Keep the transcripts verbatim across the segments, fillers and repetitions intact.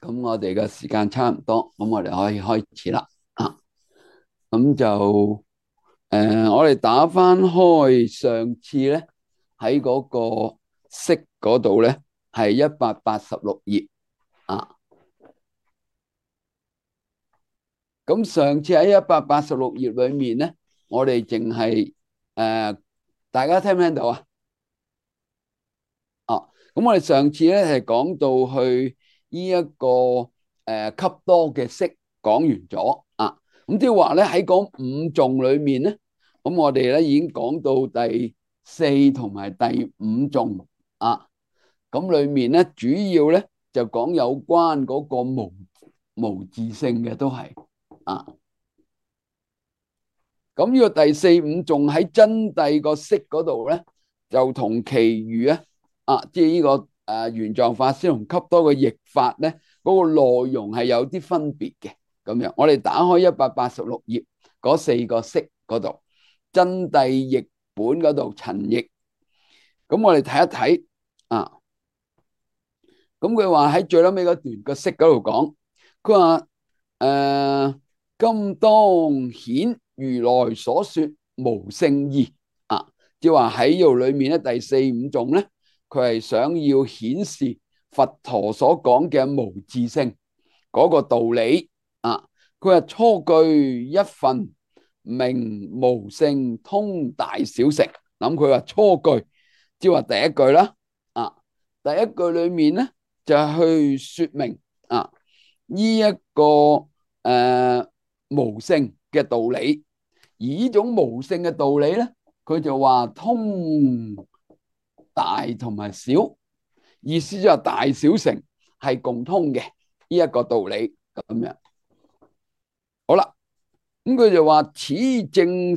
咁我哋嘅時間差唔多，咁我哋可以開始啦。啊，咁就誒、呃，我哋打翻開上次咧喺嗰個式嗰度咧，係一百八十六頁啊。咁上次喺一百八十六頁裏面咧，我哋淨係誒，大家聽唔聽到啊？哦，咁我哋上次咧係講到去呢一個誒笈多嘅式講完咗啊，咁即係話咧喺嗰五頌裏面咧，咁我哋咧已經講到第四同埋第五頌啊，咁裏面咧主要咧就講有關嗰個無無自性嘅都係啊，咁呢個第四五頌喺真諦個式嗰度咧，就同其餘啊。啊，即係呢個誒玄奘法師同笈多嘅譯法咧，嗰個內容係有啲分別嘅。咁樣，我哋打開一百八十六頁嗰四個式嗰度，真諦譯本嗰度陳譯。咁我哋睇一睇啊。咁佢話喺最後尾嗰段個式嗰度講，佢話誒今當顯如來所說無性義啊，即係話喺呢度裏面咧第四五頌咧。佢係想要顯示佛陀所講嘅無自性嗰個道理啊！佢話初句一分名無性通大小乘，諗佢話初句即係話第一句啦啊！第一句裏面咧就去說明啊呢一個誒、呃、無性嘅道理，而呢種無性嘅道理咧，佢就話通大同埋小，意思就係大小乘係共通嘅呢一個道理咁樣。好啦，咁佢就話此正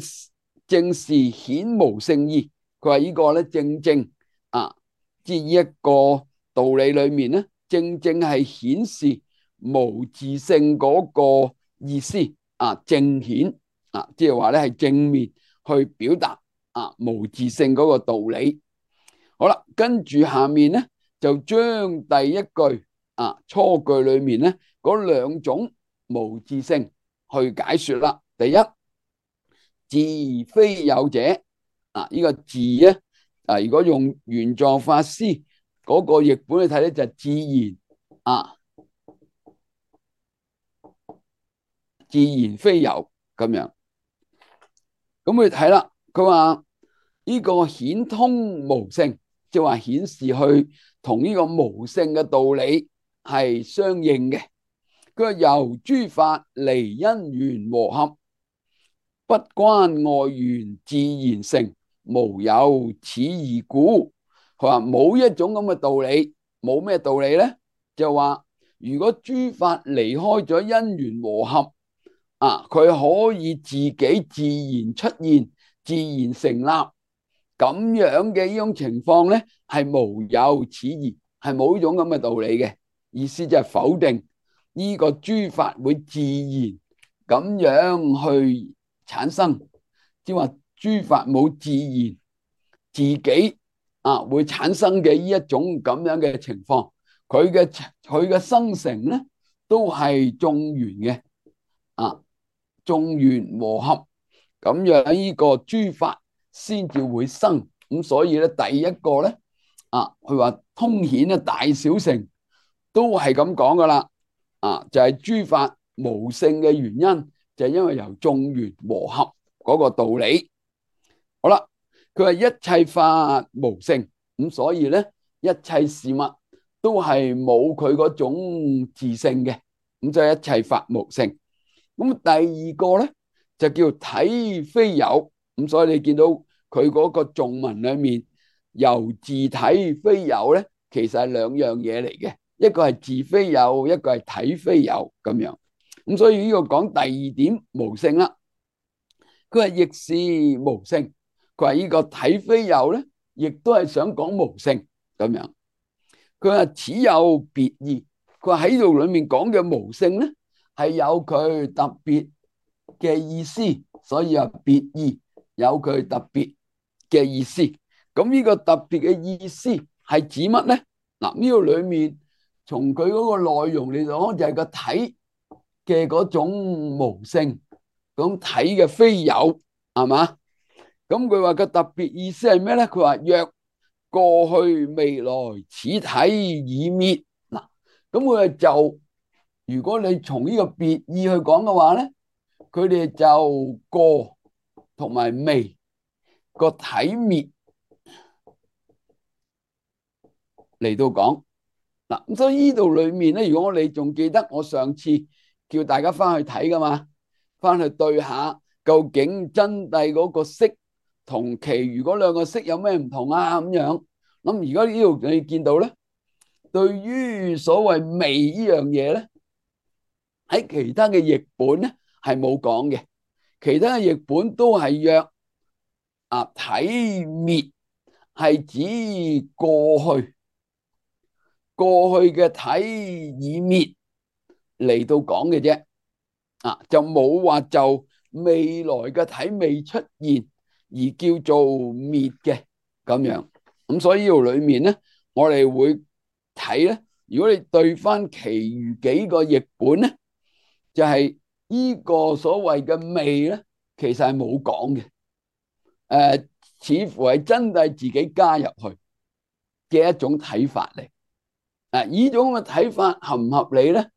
正是顯無性義。佢話呢個咧正正啊，即係呢一個道理裏面咧，正正係顯示無自性嗰個意思啊，正顯啊，即係話咧係正面去表達啊無自性嗰個道理。好啦，跟住下面咧就將第一句啊初句裏面咧嗰兩種無自性去解說啦。第一，自非有者啊，呢個自咧啊，如果用玄奘法師嗰個譯本去睇咧，就係自然啊，自然非有咁樣。咁佢睇啦，佢話呢個顯通無性，即係話顯示去同呢個無性嘅道理係相應嘅。佢話由諸法離因緣和合，不關外緣自然成，無有此義故。佢話冇一種咁嘅道理，冇咩道理咧？就話如果諸法離開咗因緣和合啊，佢可以自己自然出現、自然成立。咁樣嘅呢種情況咧，係無有此義，係冇呢種咁嘅道理嘅。意思就係否定呢個諸法會自然咁樣去產生，即係話諸法冇自然自己啊會產生嘅呢一種咁樣嘅情況，佢嘅佢嘅生成咧都係眾緣嘅啊，眾緣和合，咁樣呢個諸法先至會生。咁所以咧第一個咧啊，佢話通顯咧大小乘都係咁講噶啦啊，就係諸法無性嘅原因就係因為由眾緣和合嗰個道理。好啦，佢話一切法無性，咁所以咧一切事物都係冇佢嗰種自性嘅，咁就係一切法無性。咁第二個咧就叫體非有，咁所以你見到佢嗰個頌文裏面由自體非有咧，其實係兩樣嘢嚟嘅，一個係自非有，一個係體非有咁樣。咁所以呢個講第二點無性啦。佢話亦是無性，佢話呢個體非有咧，亦都係想講無性咁樣。佢話此有別義，佢話喺度裏面講嘅無性咧係有佢特別嘅意思，所以話別義有佢特別嘅意思。咁呢個特別嘅意思係指乜咧？嗱，呢度裏面從佢嗰個內容嚟講，就係個體嘅嗰種無性，咁體嘅非有，係嘛？咁佢話個特別意思係咩咧？佢話若過去未來此體已滅，嗱，咁佢就如果你從呢個別意去講嘅話咧，佢哋就過同埋未個體滅嚟到講。嗱，咁所以呢度裏面咧，如果我哋仲記得我上次叫大家翻去睇噶嘛，翻去對下究竟真諦嗰個色同其餘嗰兩個色有咩唔同啊？咁樣，咁而家呢度你見到咧，對於所謂味呢樣嘢咧，喺其他嘅譯本咧係冇講嘅，其他嘅譯本都係約啊體滅係指過去。過去嘅體已滅嚟到講嘅啫，啊就冇話就未來嘅體未出現而叫做滅嘅咁樣。咁所以呢度裏面咧，我哋會睇咧，如果你對翻其餘幾個譯本咧，就係呢個所謂嘅味咧，其實係冇講嘅，誒似乎係真係自己加入去嘅一種睇法嚟。啊！呢種嘅睇法合唔合理咧？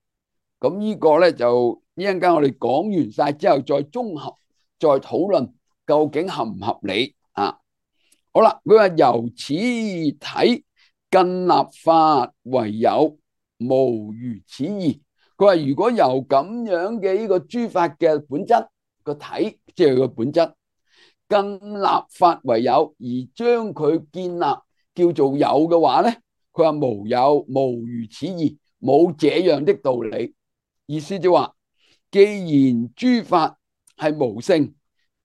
咁呢個咧就一陣間我哋講完晒之後，再綜合再討論究竟合唔合理啊？好啦，佢話由此體更立法為有，無如此義。佢話如果由咁樣嘅呢個諸法嘅本質個體，即係個本質更立法為有，而將佢建立叫做有嘅話咧？佢話無有，無如此義，冇這樣的道理。意思就話，既然諸法係無性，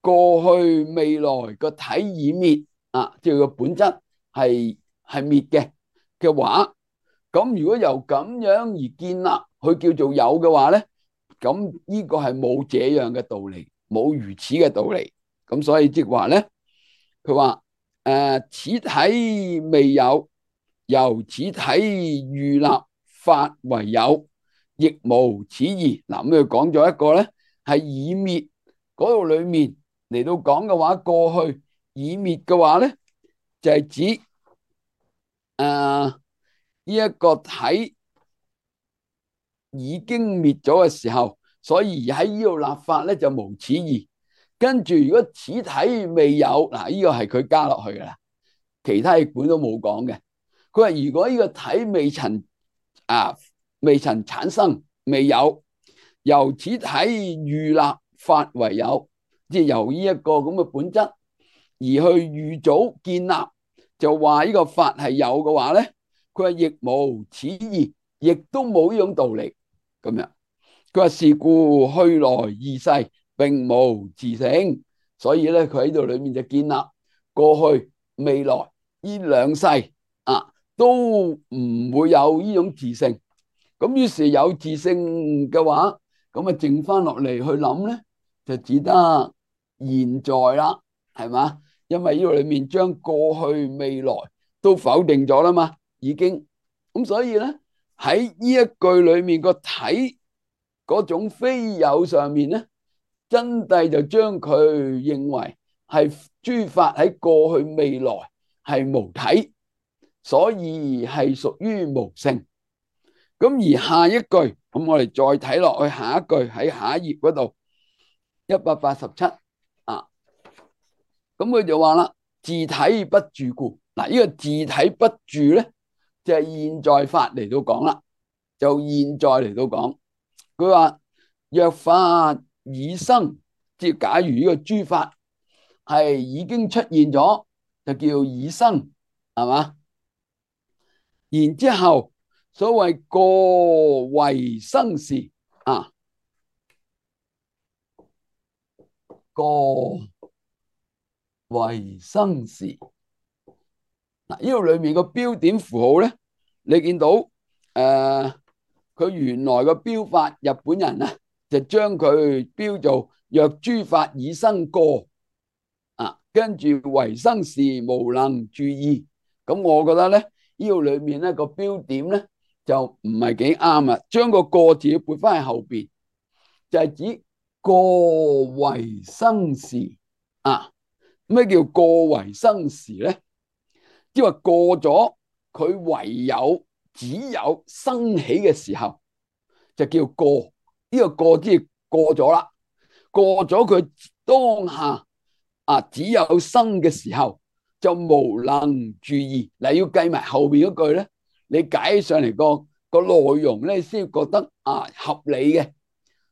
過去未來個體已滅啊，即係個本質係係滅嘅嘅話，咁如果由咁樣而建立佢叫做有嘅話咧，咁呢個係冇這樣嘅道理，冇如此嘅道理。咁所以即係話咧，佢話誒此體未有。由此體預立法為有，亦無此義。嗱，咁佢講咗一個咧，係已滅嗰度裏面嚟到講嘅話，過去已滅嘅話咧，就係、是、指誒呢一個體已經滅咗嘅時候，所以喺呢度立法咧就無此義。跟住如果此體未有，嗱、這、呢個係佢加落去噶啦，其他譯本都冇講嘅。佢話如果呢個體未曾啊未曾產生未有，由此體預立法為有，即係由呢一個咁嘅本質而去預早建立，就話呢個法係有嘅話咧，佢話亦無此義，亦都冇呢種道理咁樣。佢話是故去來二世並無自性，所以咧佢喺度裏面就建立過去未來呢兩世啊。都唔會有呢種自性，咁於是有自性嘅話，咁啊剩翻落嚟去諗咧，就只得現在啦，係嘛？因為呢度裏面將過去未來都否定咗啦嘛，已經咁，所以咧喺呢一句裏面個體嗰種非有上面咧，真諦就將佢認為係諸法喺過去未來係無體。所以係屬於無性。咁而下一句，咁我哋再睇落去下一句喺下一頁嗰度一百八十七啊，咁佢就話啦，自體不住故。嗱，呢個自體不住咧，就係現在法嚟到講啦，就現在嚟到講。佢話若法已生，即係假如呢個諸法係已經出現咗，就叫已生，係嘛？然之後，所謂過為生時啊，過為生時嗱，呢度裏面個標點符號咧，你見到誒，佢、呃、原來個標法，日本人啊就將佢標做若諸法已生過啊，跟住為生時無能住意。咁我覺得咧。呢度裏面咧個標點咧就唔係幾啱啊。將個過字要撥翻喺後邊，就係指過為生時啊。咩叫過為生時咧？即係話過咗佢唯有只有生起嘅時候，就叫過。呢個過即係過咗啦，過咗佢當下啊只有生嘅時候，就無能注意。嗱，要計埋後邊嗰句咧，你解起上嚟個個內容咧，先覺得啊合理嘅。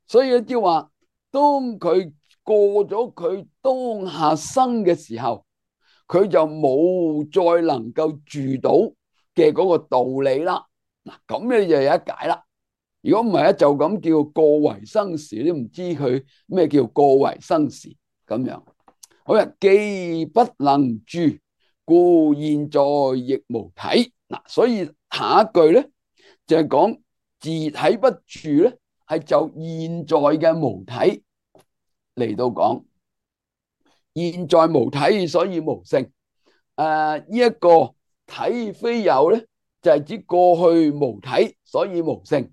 所以即係話，當佢過咗佢當下生嘅時候，佢就冇再能夠住到嘅嗰個道理啦。嗱，咁你就有一解啦。如果唔係咧，就咁叫過為生時，都唔知佢咩叫過為生時咁樣。好啦，既不能住，故現在亦無體。嗱，所以下一句咧就係講自體不住咧，係就現在嘅無體嚟到講。現在無體，所以無性。誒、呃，呢、這、一個體非有咧，就係、是、指過去無體，所以無性。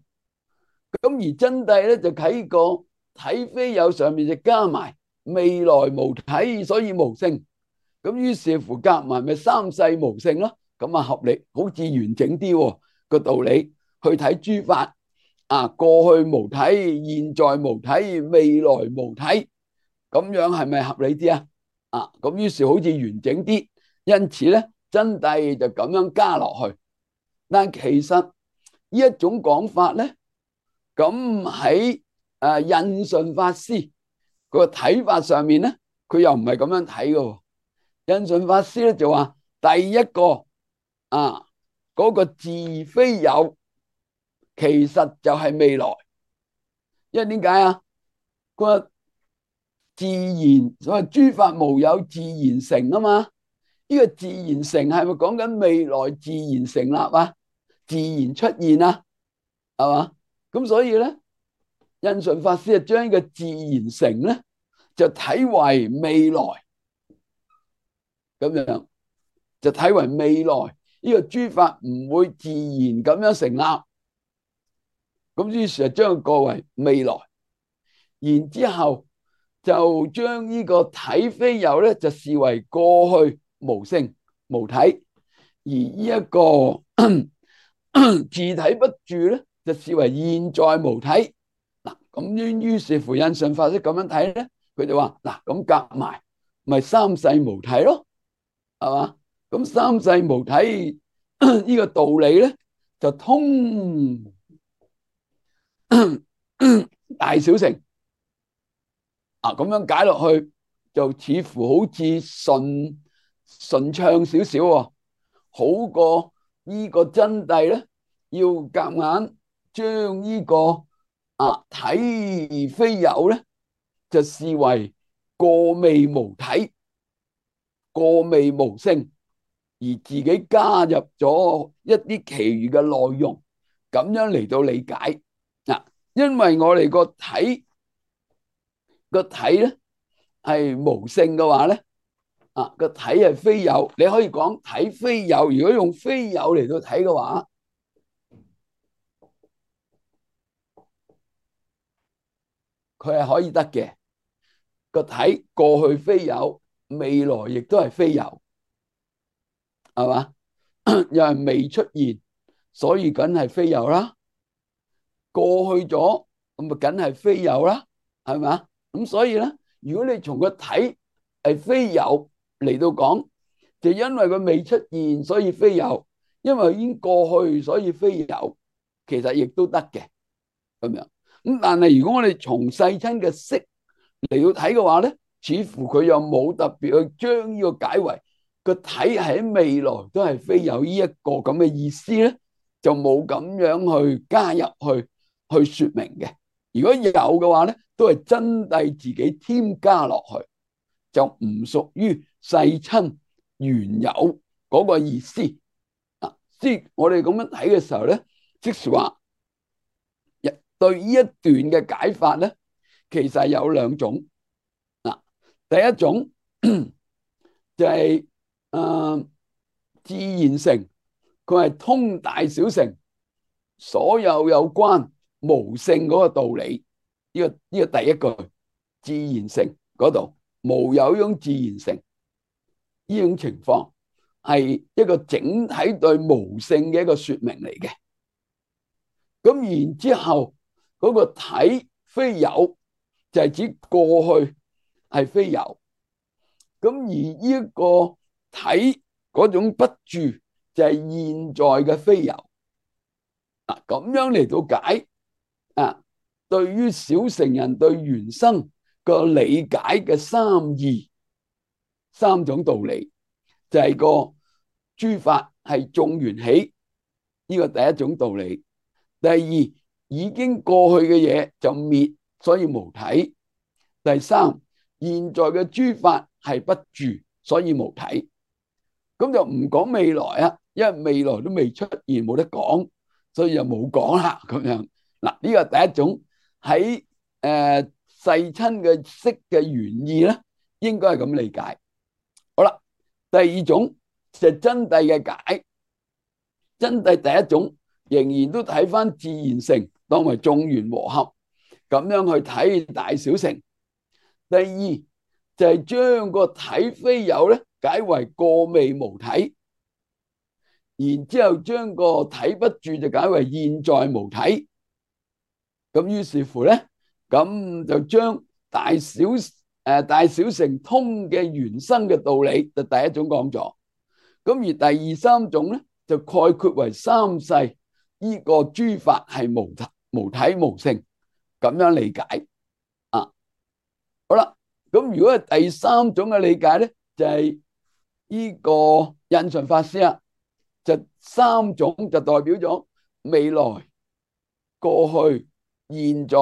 咁而真諦咧就喺個體非有上面就加埋未來無體，所以無性。咁於是乎夾埋咪三世無性咯。咁啊合理，好似完整啲個道理去睇諸法啊，過去無體，現在無體，未來無體，咁樣係咪合理啲啊？啊，咁於是好似完整啲，因此咧真諦就咁樣加落去。但其實呢一種講法咧，咁喺誒印順法師個睇法上面咧，佢又唔係咁樣睇嘅。印順法師咧就話，第一個啊嗰個自非有，其實就係未來。因為點解啊？佢話自然所謂諸法無有自然成啊嘛。呢個自然成係咪講緊未來自然成立啊？自然出現啊？係嘛？咁所以咧，印順法師就將呢個自然成咧，就睇為未來咁樣，就睇為未來呢個諸法唔會自然咁樣成立。咁於是就將佢過為未來，然之後就將呢個體非有咧，就視為過去無性無體，而呢一個自體不住咧，就視為現在無體。嗱，咁於於是乎印順法師咁樣睇咧，佢就話嗱，咁夾埋咪三世無體咯，係嘛？咁三世無體呢個道理咧就通大小乘啊，咁樣解落去就似乎好似順順暢少少喎，好過呢個真諦咧要夾硬將呢個啊體非有咧就視為過未無體、過未無性，而自己加入咗一啲其餘嘅內容，咁樣嚟到理解嗱。因為我哋個體個體咧係無性嘅話咧，啊個體係非有，你可以講體非有。如果用非有嚟到睇嘅話，佢係可以得嘅。個體過去非有，未來亦都係非有，係嘛？又係未出現，所以梗係非有啦。過去咗咁咪梗係非有啦，係嘛？咁所以咧，如果你從個體係非有嚟到講，就因為佢未出現，所以非有；因為已經過去，所以非有。其實亦都得嘅咁樣。咁但係如果我哋從世親嘅識嚟到睇嘅話咧，似乎佢又冇特別去將呢個解為個體喺未來都係非有呢一個咁嘅意思咧，就冇咁樣去加入去去說明嘅。如果有嘅話咧，都係真諦自己添加落去，就唔屬於世親原有嗰個意思啊。即係我哋咁樣睇嘅時候咧，即是話對呢一段嘅解法咧，其實有兩種。嗱，第一種就係、是、誒、呃、自然成，佢係通大小乘，所有有關無性嗰個道理，呢、這個呢、這個第一句自然性嗰度無有呢種自然性，呢種情況係一個整體對無性嘅一個說明嚟嘅。咁然之後嗰、那個體非有就係指過去係非有，咁而呢一個體嗰種不住就係現在嘅非有。嗱，咁樣嚟到解啊，對於小乘人對緣生個理解嘅三義三種道理，就係、是、個諸法係眾緣起，呢、這個第一種道理。第二，已經過去嘅嘢就滅，所以無體。第三，現在嘅諸法係不住，所以無體。咁就唔講未來啊，因為未來都未出現，冇得講，所以就冇講啦。咁樣嗱，呢個第一種喺誒世親嘅識嘅原意咧，應該係咁理解。好啦，第二種就係真諦嘅解。真諦第一種仍然都睇翻自然性，當為眾緣和合咁樣去睇大小乘。第二就係將個體非有咧解為過未無體，然之後將個體不住就解為現在無體。咁於是乎咧，咁就將大小誒、呃、大小乘通嘅緣生嘅道理就第一種講咗。咁而第二三種咧就概括為三世呢個諸法係無體無體無性，咁樣理解啊。好啦，咁如果係第三種嘅理解咧，就係呢個印順法師啊，就三種就代表咗未來、過去、現在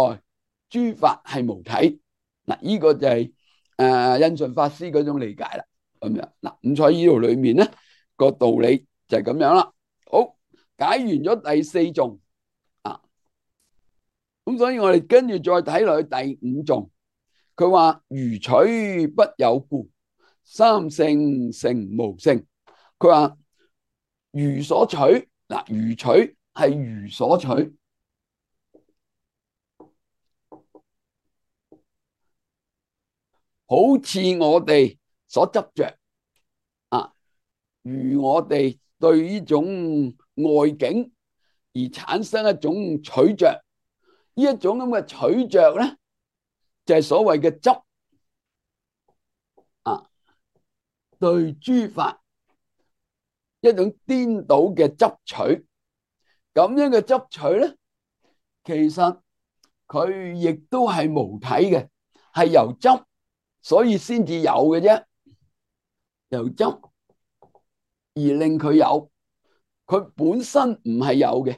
諸法係無體。嗱，呢個就係誒印順法師嗰種理解啦。咁樣嗱，咁所以呢度裏面咧個道理就係咁樣啦。好，解完咗第四頌啊，咁所以我哋跟住再睇落去第五頌。佢話如取不有故，三性成無性。佢話如所取，嗱，如取係如所取，好似我哋所執着啊，如我哋對呢種外境而產生一種取着，呢一種咁嘅取着咧，就係所謂嘅執啊，對諸法一種顛倒嘅執取，咁樣嘅執取咧，其實佢亦都係無體嘅，係由執所以先至有嘅啫，由執而令佢有，佢本身唔係有嘅，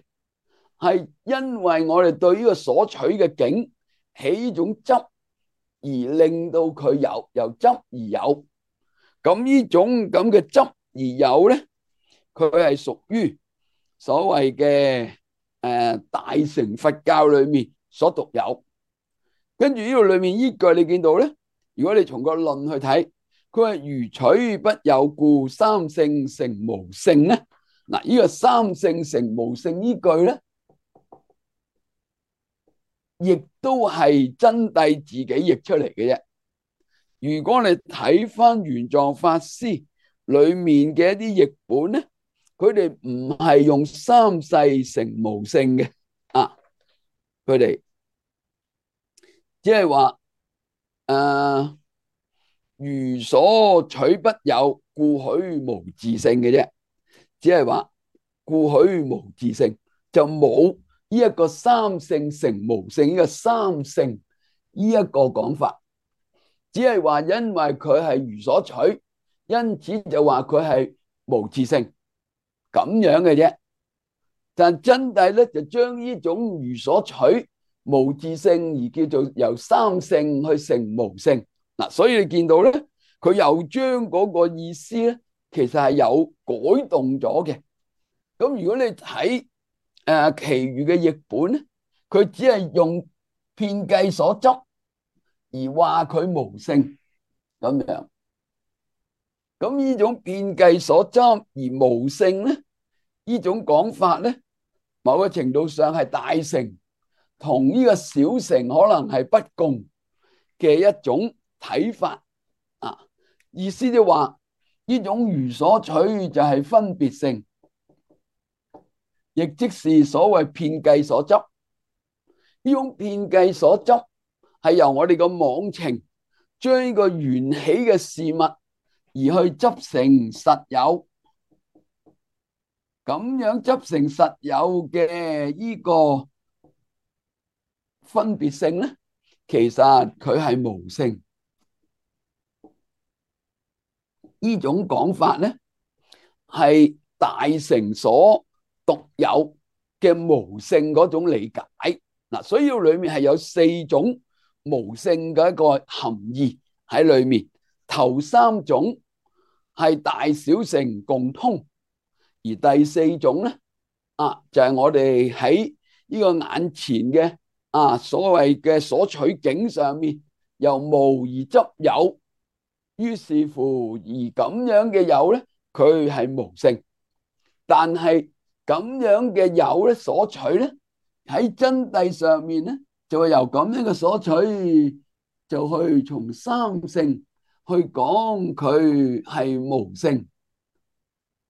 係因為我哋對呢個所取嘅境起呢種執而令到佢有，由執而有。咁呢種咁嘅執而有咧，佢係屬於所謂嘅誒大乘佛教裏面所獨有。跟住呢度裏面依句你見到咧，如果你從個論去睇，佢話如取不有故，三性成無性咧。嗱，呢個三性成無性呢句咧，亦都係真諦自己譯出嚟嘅啫。如果你睇翻玄奘法師裏面嘅一啲譯本咧，佢哋唔係用三世成無性嘅啊，佢哋只係話誒如所取不有，故許無自性嘅啫，只係話故許無自性，就冇呢一個三性成無性呢個三性呢一個講法。只係話因為佢係如所取，因此就話佢係無自性咁樣嘅啫。但真諦咧就將呢種如所取無自性而叫做由三性去成無性。嗱，所以你見到咧，佢又將嗰個意思咧，其實係有改動咗嘅。咁如果你睇誒其餘嘅譯本咧，佢只係用遍計所執而話佢無性咁樣，咁呢種遍計所執而無性咧，呢種講法咧，某個程度上係大乘同呢個小乘可能係不共嘅一種睇法啊。意思就話呢種如所取就係分別性，亦即是所謂遍計所執。呢種遍計所執係由我哋個妄情將呢個緣起嘅事物而去執成實有，咁樣執成實有嘅呢個分別性咧，其實佢係無性。呢種講法咧係大乘所獨有嘅無性嗰種理解。嗱，所以裏面係有四種無性嘅一個含義喺裏面。頭三種係大小乘共通，而第四種咧啊就係我哋喺呢個眼前嘅啊所謂嘅所取境上面由無而執有，於是乎而咁樣嘅有咧佢係無性，但係咁樣嘅有咧所取咧喺真諦上面咧就係由咁樣嘅所取就去從三性去講佢係無性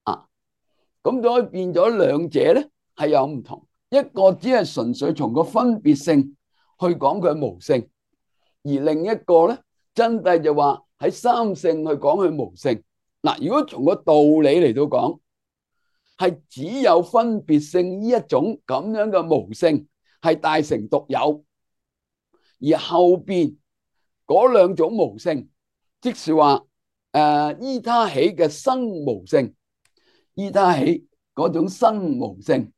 啊。咁就可以變咗兩者咧係有唔同，一個只係純粹從個分別性去講佢係無性，而另一個咧真諦就話喺三性去講佢無性。嗱，如果從個道理嚟到講，係只有分別性呢一種咁樣嘅無性係大乘獨有，而後邊嗰兩種無性，即是話誒依他起嘅生無性，依他起嗰種生無性，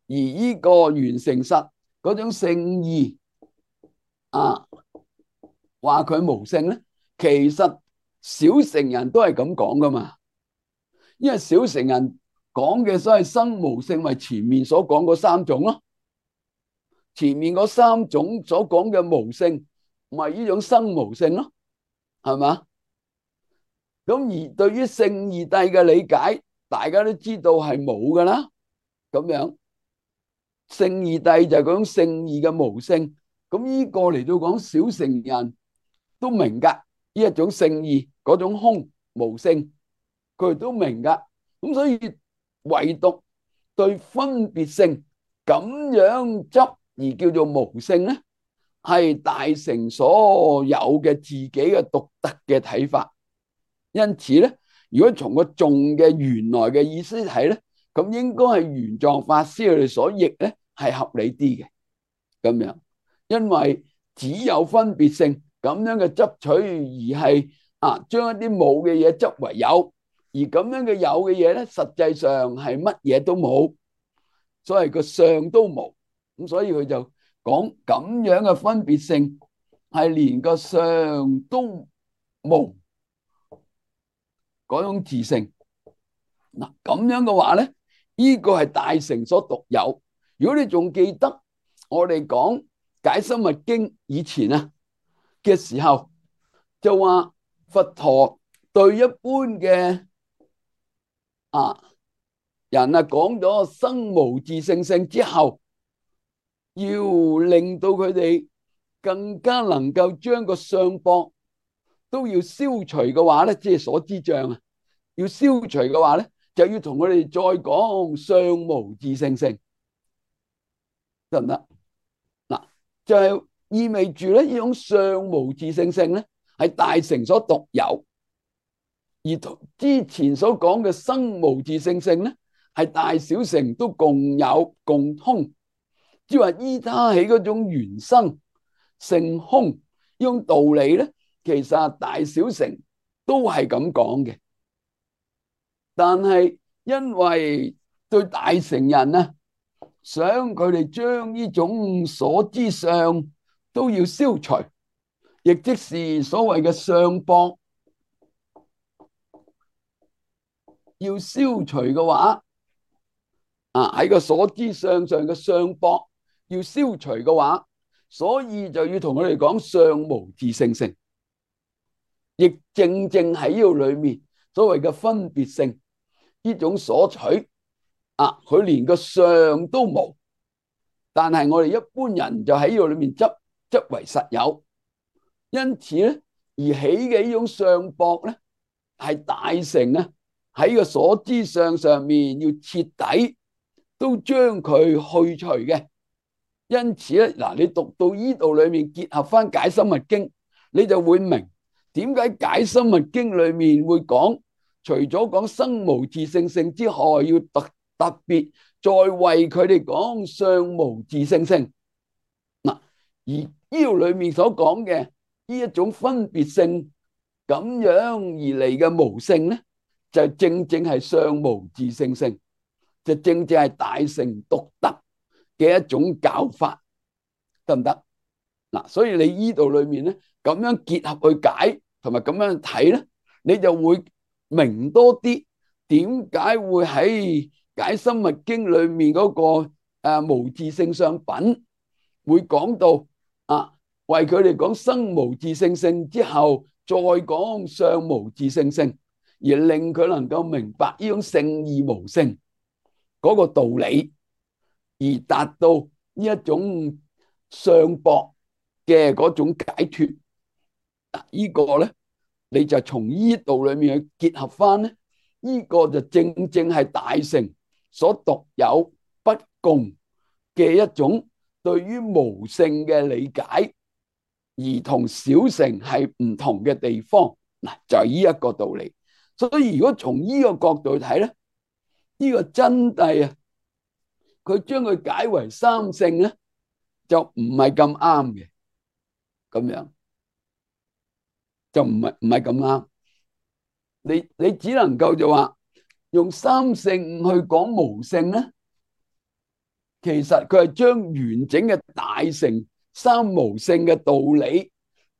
而呢個緣成實嗰種聖義啊，話佢無性咧，其實小乘人都係咁講噶嘛，因為小乘人講嘅所謂生無性，咪前面所講嗰三種咯。前面嗰三種所講嘅無性，咪呢種生無性咯，係嘛？咁而對於聖義諦嘅理解，大家都知道係冇噶啦。咁樣聖義諦就係嗰種聖義嘅無性。咁呢個嚟到講小乘人都明噶，呢一種聖義嗰種空無性，佢哋都明噶。咁所以唯獨對分別性咁樣執而叫做無性咧，係大乘所有嘅自己嘅獨特嘅睇法。因此咧，如果從個頌嘅原來嘅意思睇咧，咁應該係玄奘法師佢哋所譯咧係合理啲嘅咁樣，因為只有分別性咁樣嘅執取而係啊將一啲冇嘅嘢執為有，而咁樣嘅有嘅嘢咧，實際上係乜嘢都冇，所謂個相都冇。咁所以佢就講咁樣嘅分別性係連個相都冇嗰種自性。嗱，咁樣嘅話咧，呢個係大乘所獨有。如果你仲記得我哋講解深密經以前啊嘅時候，就話佛陀對一般嘅啊人啊講咗生無自性性之後，要令到佢哋更加能夠將個相縛都要消除嘅話咧，即係所知障啊，要消除嘅話咧，就要同佢哋再講相無自性性，得唔得？嗱，就係意味住咧，呢種相無自性性咧係大乘所獨有，而同之前所講嘅生無自性性咧係大小乘都共有共通。即係話依他起嗰種緣生性空呢種道理咧，其實大小乘都係咁講嘅。但係因為對大乘人啊，想佢哋將呢種所知相都要消除，亦即是所謂嘅相縛要消除嘅話，啊喺個所知相上嘅相縛要消除嘅話，所以就要同佢哋講相無自性性，亦正正喺呢度裏面所謂嘅分別性呢種所取啊，佢連個相都冇，但係我哋一般人就喺呢個裏面執執為實有，因此咧而起嘅呢種相駁咧，係大乘啊喺個所知相上面要徹底都將佢去除嘅。因此咧，嗱，你讀到呢度裏面結合翻解深密經，你就會明點解解深密經裏面會講，除咗講生無自性性之外，要特特別再為佢哋講相無自性性。嗱，而呢度裏面所講嘅呢一種分別性咁樣而嚟嘅無性咧，就正正係相無自性性，就正正係大乘獨特嘅一種教法，得唔得？嗱，所以你呢度裏面咧咁樣結合去解，同埋咁樣睇咧，你就會明多啲點解會喺解深密經裏面嗰個誒無自性相品會講到啊，為佢哋講生無自性性之後，再講相無自性性，而令佢能夠明白呢種聖義無性嗰個道理，而達到呢一種相駁嘅嗰種解脫。嗱，呢個咧你就從呢度裏面去結合翻咧，呢個就正正係大乘所獨有不共嘅一種對於無性嘅理解，而同小乘係唔同嘅地方。嗱，就係呢一個道理。所以如果從呢個角度睇咧，呢個真諦啊，佢將佢解為三性咧，就唔係咁啱嘅，咁樣就唔係唔係咁啱。你你只能夠就話用三性去講無性咧，其實佢係將完整嘅大乘三無性嘅道理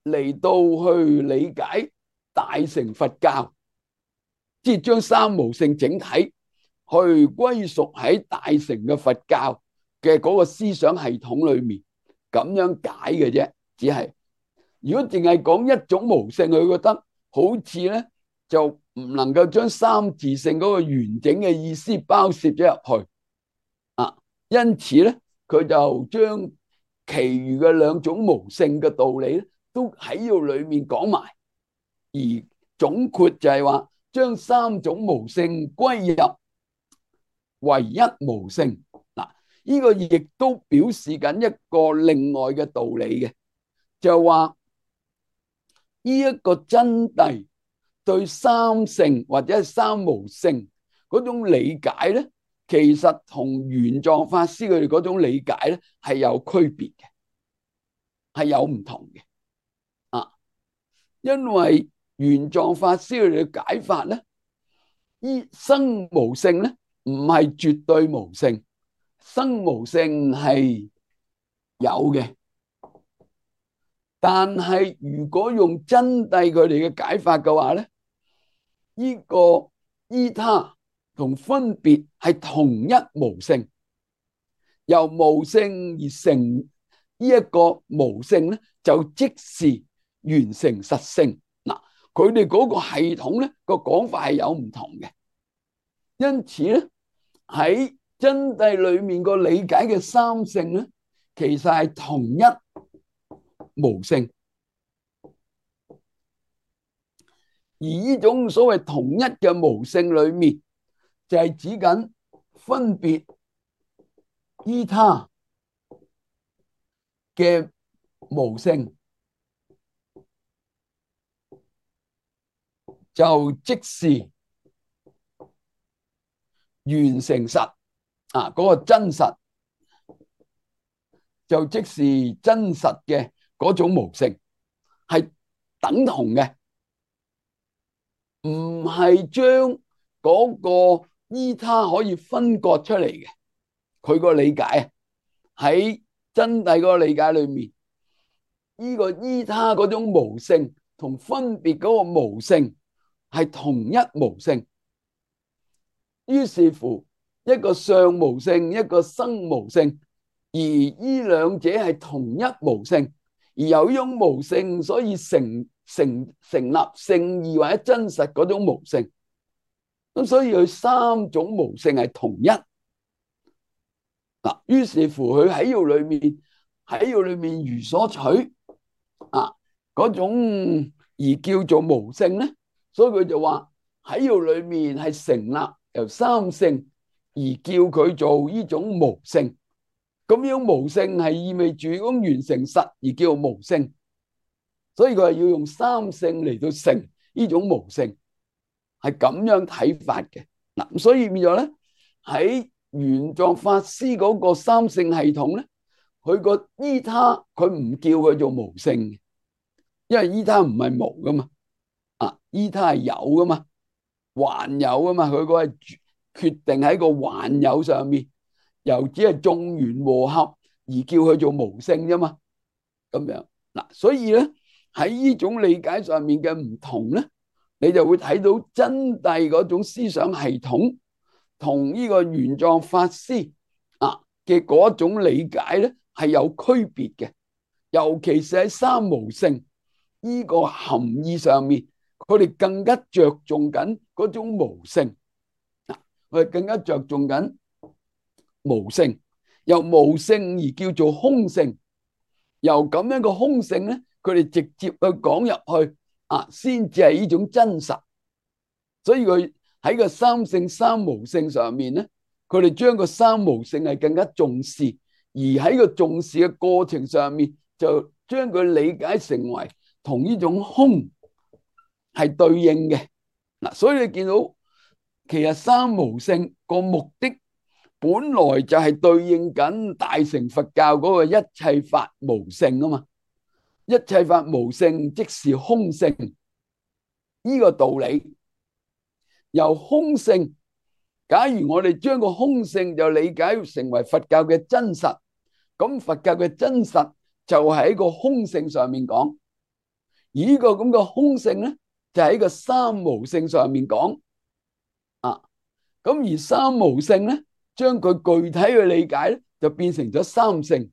嚟到去理解大乘佛教，即係將三無性整體去歸屬喺大乘嘅佛教嘅嗰個思想系統裏面，咁樣解嘅啫。只係如果淨係講一種無性，佢覺得好似咧就唔能夠將三自性嗰個完整嘅意思包攝咗入去啊。因此咧，佢就將其餘嘅兩種無性嘅道理咧，都喺呢度裏面講埋，而總括就係話將三種無性歸入唯一無性。嗱，呢個亦都表示緊一個另外嘅道理嘅，就話呢一個真諦對三性或者係三無性嗰種理解咧，其實同玄奘法師佢哋嗰種理解咧係有區別嘅，係有唔同嘅啊。因為玄奘法師佢哋嘅解法咧，依生無性咧唔係絕對無性，生無性係有嘅。但係如果用真諦佢哋嘅解法嘅話咧，呢個依他同分別係同一無性，由無性而成呢一個無性咧，就即是完成實性。嗱，佢哋嗰個系統咧個講法係有唔同嘅，因此咧喺真諦裏面個理解嘅三性咧，其實係同一無性。而呢種所謂同一嘅無性裏面，就係指緊分別依他嘅無性，就即是完成實啊！嗰個真實就即是真實嘅嗰種無性，係等同嘅，唔係將嗰個依他可以分割出嚟嘅。佢個理解啊，喺真諦嗰個理解裏面，呢個依他嗰種無性同分別嗰個無性係同一無性。於是乎，一個相無性，一個生無性，而呢兩者係同一無性，而由於種無性，所以成成成立聖義或者真實嗰種無性。咁所以佢三種無性係同一。嗱，於是乎佢喺呢度裏面喺呢度裏面如所取啊嗰種而叫做無性咧，所以佢就話喺呢度裏面係成立由三性而叫佢做呢種無性。咁樣無性係意味住咁完成實而叫做無性，所以佢係要用三性嚟到成呢種無性，係咁樣睇法嘅。嗱，所以變咗咧喺玄奘法師嗰個三性系統咧，佢個依他佢唔叫佢做無性，因為依他唔係無噶嘛，啊依他係有噶嘛，還有噶嘛，佢個係決定喺個還有上面。又只係眾緣和合而叫佢做無性啫嘛，咁樣嗱，所以咧喺呢種理解上面嘅唔同咧，你就會睇到真諦嗰種思想系統同呢個玄奘法師啊嘅嗰種理解咧係有區別嘅，尤其是喺三無性呢個含義上面，佢哋更加着重緊嗰種無性，嗱，佢哋更加着重緊無性，由無性而叫做空性，由咁樣個空性咧，佢哋直接去講入去啊，先至係呢種真實。所以佢喺個三性三無性上面咧，佢哋將個三無性係更加重視，而喺個重視嘅過程上面，就將佢理解成為同呢種空係對應嘅嗱。所以你見到其實三無性個目的本來就係對應緊大乘佛教嗰個一切法無性啊嘛，一切法無性即是空性呢個道理。由空性，假如我哋將個空性就理解成為佛教嘅真實，咁佛教嘅真實就喺個空性上面講，而呢個咁嘅空性咧就喺個三無性上面講啊。咁而三無性咧，將佢具體嘅理解咧，就變成咗三性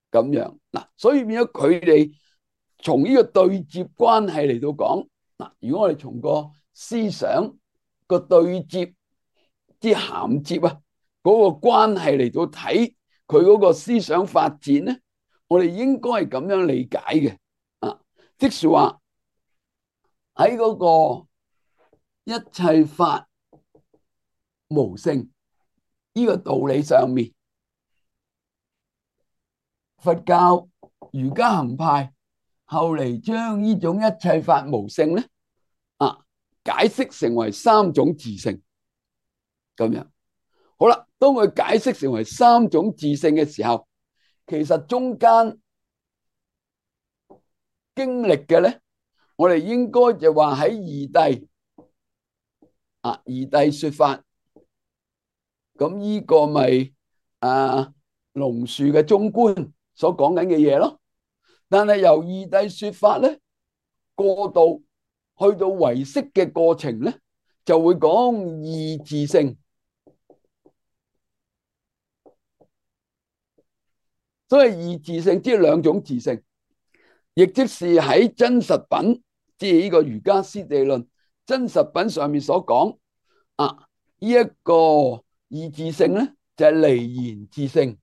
咁樣嗱，所以變咗佢哋從呢個對接關係嚟到講嗱。如果我哋從個思想個對接之銜接啊，嗰個關係嚟到睇佢嗰個思想發展咧，我哋應該係咁樣理解嘅啊，即是話喺嗰個一切法無性呢個道理上面，佛教瑜伽行派後嚟將呢種一切法無性咧啊解釋成為三種自性咁樣。好啦，當佢解釋成為三種自性嘅時候，其實中間經歷嘅咧，我哋應該就話喺二諦啊，二諦說法。咁呢個咪啊龍樹嘅中觀所講緊嘅嘢咯，但係由二諦說法咧過渡去到唯識嘅過程咧，就會講二自性。所以二自性即係兩種自性，亦即是喺真實品，即係呢個瑜伽師地論真實品上面所講啊，呢一個二自性咧就係離言自性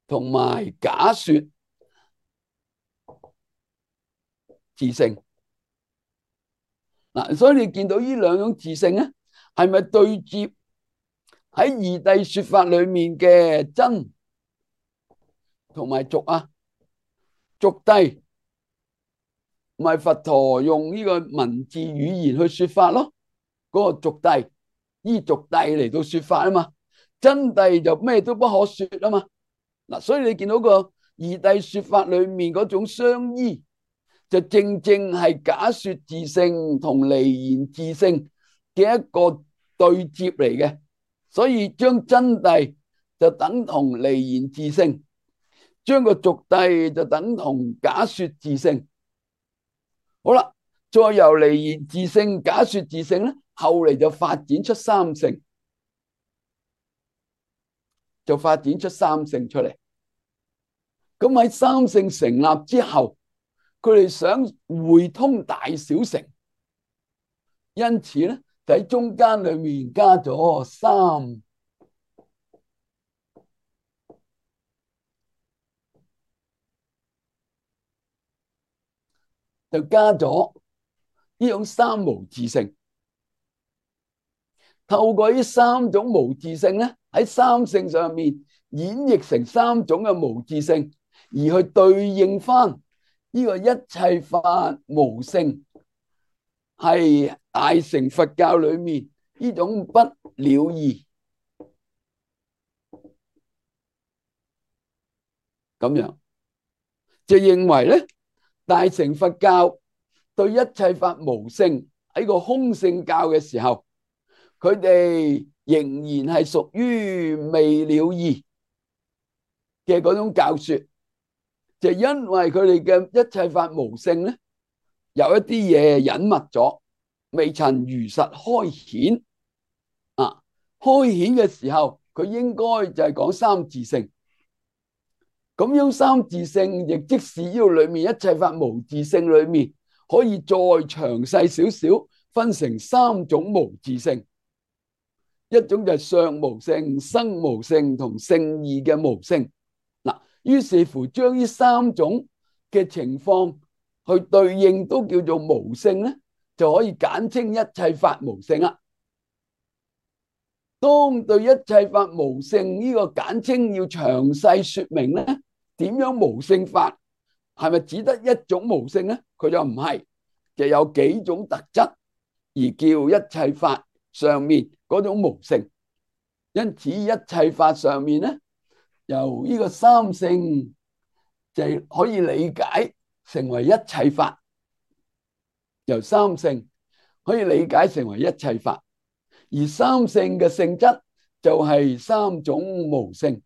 同埋假說自性嗱。所以你見到呢兩種自性咧，係咪對接喺二諦說法裏面嘅真同埋俗啊？俗諦唔係佛陀用呢個文字語言去說法咯，嗰個俗諦依俗諦嚟到說法啊嘛，真諦就咩都不可說啊嘛嗱。所以你見到個二諦說法裏面嗰種相依，就正正係假說自性同離言自性嘅一個對接嚟嘅。所以將真諦就等同離言自性，將個俗諦就等同假說自性。好啦，再由離言自性、假說自性咧，後嚟就發展出三性，就發展出三性出嚟。咁喺三性成立之後，佢哋想匯通大小乘，因此咧喺中間裏面加咗三，就加咗呢種三無自性。透過呢三種無自性咧，喺三性上面演繹成三種嘅無自性，而去對應翻呢個一切法無性，係大乘佛教裏面呢種不了義咁樣，就認為咧，大乘佛教對一切法無性喺個空性教嘅時候，佢哋仍然係屬於未了義嘅嗰種教說，就因為佢哋嘅一切法無性咧，有一啲嘢隱密咗，未曾如實開顯啊！開顯嘅時候，佢應該就係講三自性。咁樣三自性，亦即是呢度裏面一切法無自性裏面，可以再詳細少少，分成三種無自性。一種就係相無性、生無性同性異嘅無性。嗱，於是乎將呢三種嘅情況去對應，都叫做無性咧，就可以簡稱一切法無性啦。當對一切法無性呢個簡稱要詳細說明咧，點樣無性法？係咪只得一種無性咧？佢就唔係，就有幾種特質而叫一切法上面嗰種無性。因此一切法上面咧，由呢個三性就可以理解成為一切法，由三性可以理解成為一切法，而三性嘅性質就係三種無性，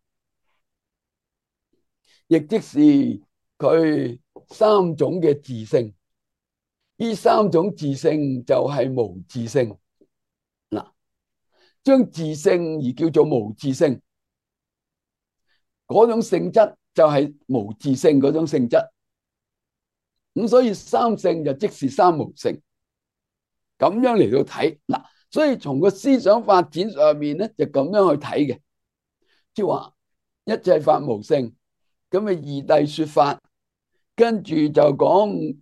亦即是佢三種嘅自性。呢三種自性就係無自性。嗱，將自性而叫做無自性，嗰種性質就係無自性嗰種性質。咁所以三性就即是三無性，咁樣嚟到睇。嗱，所以從個思想發展上面咧，就咁樣去睇嘅，即係話一切法無性，咁啊二諦說法，跟住就講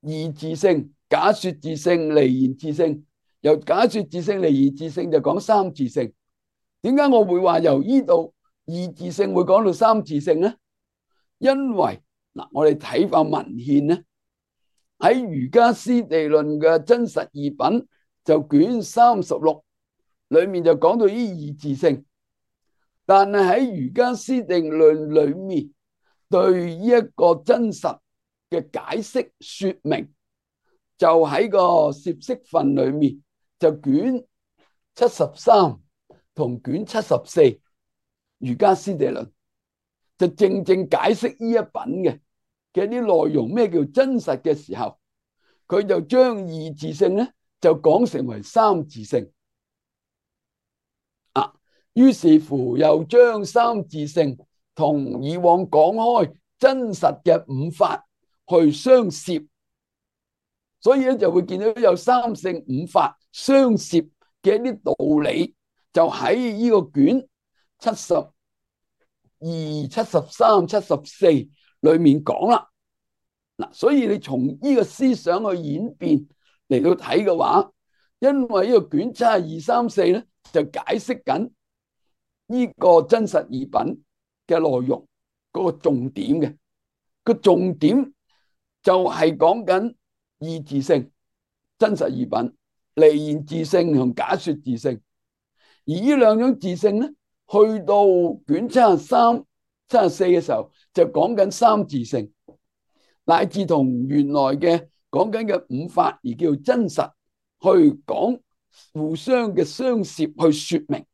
二自性、假說自性、離言自性。由假說自性、離言自性就講三自性。點解我會話由呢度二自性會講到三自性咧？因為嗱，我哋睇翻文獻咧，喺《瑜伽師地論》嘅真實義品就卷三十六裏面就講到呢二自性，但係喺《瑜伽師地論》裏面對呢一個真實嘅解釋說明，就喺個攝釋分裏面就卷七十三同卷七十四《瑜伽師地論》就正正解釋呢一品嘅嘅啲內容，咩叫真實嘅時候，佢就將二自性咧就講成為三自性啊。於是乎又將三自性同以往講開真實嘅五法去相攝，所以咧就會見到有三性五法相攝嘅一啲道理，就喺呢個卷七十二、七十三、七十四裏面講啦。嗱，所以你從呢個思想去演變嚟到睇嘅話，因為呢個卷七十二、三四咧就解釋緊呢個真實義品嘅內容，嗰個重點嘅個重點就係講緊二自性、真實義品、離言自性同假說自性。而呢兩種自性咧，去到卷七十三、七十四嘅時候就講緊三自性，乃至同原來嘅講緊嘅五法而叫真實去講互相嘅相攝去說明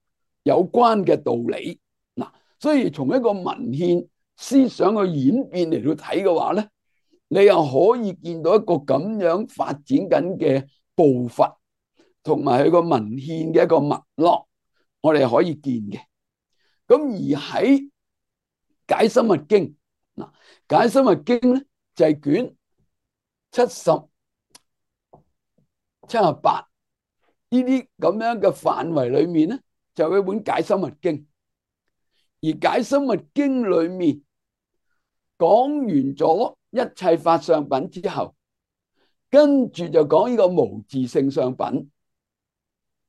有關嘅道理。嗱，所以從一個文獻思想嘅演變嚟到睇嘅話咧，你又可以見到一個咁樣發展緊嘅步伐，同埋佢個文獻嘅一個脈絡，我哋可以見嘅。咁而喺解深密經，嗱，解深密經咧就係卷七十、七十八呢啲咁樣嘅範圍裏面咧，就有一本解深密經。而解深密經裏面講完咗一切法相品之後，跟住就講呢個無自性相品，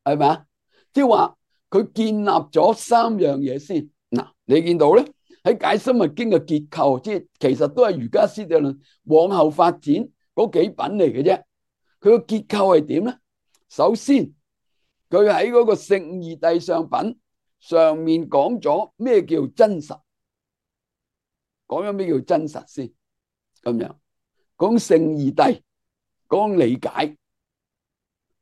係咪啊？即係話佢建立咗三樣嘢先。嗱，你見到咧，喺解深密經嘅結構，即係其實都係瑜伽師地論往後發展嗰幾品嚟嘅啫。佢個結構係點咧？首先，佢喺嗰個聖義諦相品上面講咗咩叫真實，講咗咩叫真實先，咁樣講聖義諦，講理解。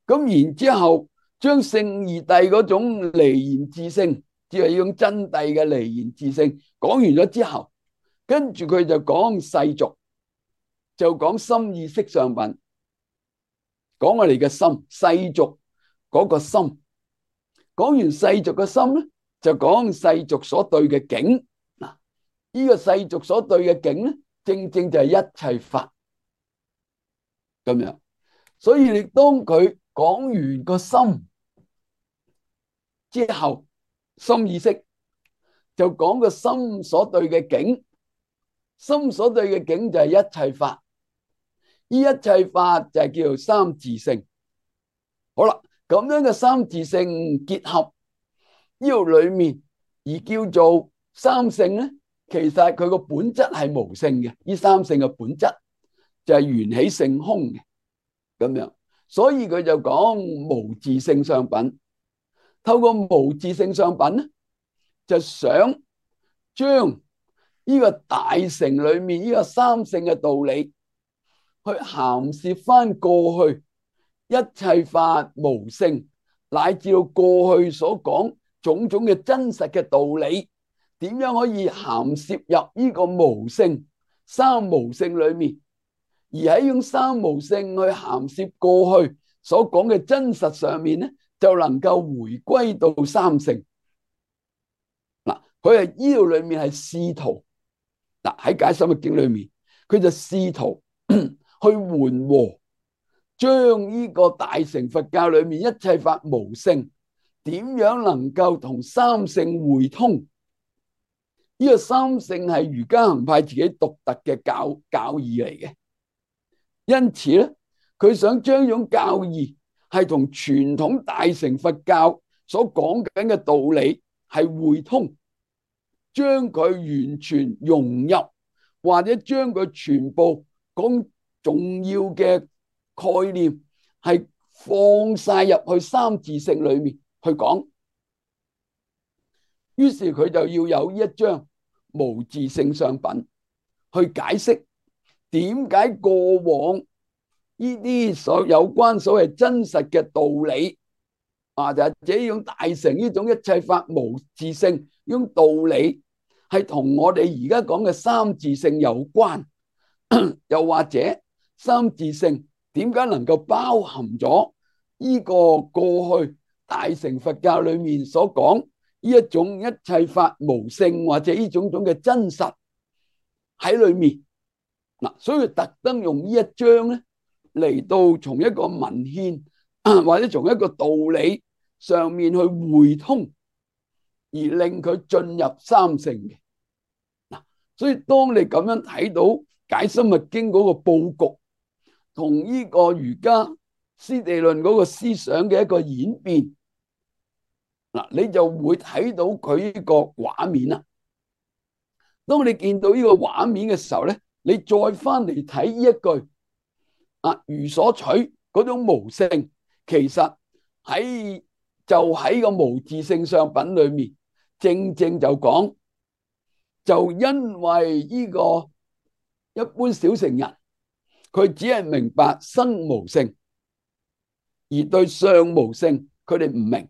咁然之後，將聖義諦嗰種離言自性，即係呢種真諦嘅離言自性，講完咗之後，跟住佢就講世俗，就講心意識相品，講我哋嘅心，世俗嗰個心。講完世俗嘅心咧，就講世俗所對嘅境。嗱，呢個世俗所對嘅境咧，正正就係一切法咁樣。所以你當佢講完個心之後，心意識就講個心所對嘅境，心所對嘅境就係一切法。呢一切法就係叫做三自性。好啦，咁樣嘅三自性結合呢度裏面而叫做三性咧，其實佢個本質係無性嘅。呢三性嘅本質就係緣起性空嘅咁樣，所以佢就講無自性相品。透過無自性相品咧，就想將呢個大乘裏面呢個三性嘅道理去涵攝翻過去一切法無性，乃至到過去所講種種嘅真實嘅道理，點樣可以涵攝入呢個無性三無性裏面，而喺用三無性去涵攝過去所講嘅真實上面咧，就能夠回歸到三性。嗱，佢係呢度裏面係試圖，嗱喺解深密經裏面，佢就試圖去緩和，將呢個大乘佛教裏面一切法無性，點樣能夠同三性匯通？呢個三性係瑜伽行派自己獨特嘅教教義嚟嘅，因此咧，佢想將呢種教義係同傳統大乘佛教所講緊嘅道理係匯通，將佢完全融入，或者將佢全部講重要嘅概念係放晒入去三自性裏面去講。於是佢就要有一張無自性相品去解釋點解過往呢啲所有關所謂真實嘅道理啊，就係這種大乘呢種一切法無自性呢種道理係同我哋而家講嘅三自性有關，又或者三自性點解能夠包含咗呢個過去大乘佛教裏面所講呢一種一切法無性或者呢種種嘅真實喺裏面嗱，所以特登用呢一章咧嚟到從一個文獻或者從一個道理上面去匯通，而令佢進入三性嘅嗱。所以當你咁樣睇到解深密經嗰個佈局同呢個瑜伽師地論嗰個思想嘅一個演變，嗱，你就會睇到佢呢個畫面啦。當你見到呢個畫面嘅時候咧，你再翻嚟睇呢一句啊，如所取嗰種無性，其實喺就喺個無自性相品裏面，正正就講，就因為呢個一般小乘人，佢只係明白生無性，而對相無性佢哋唔明。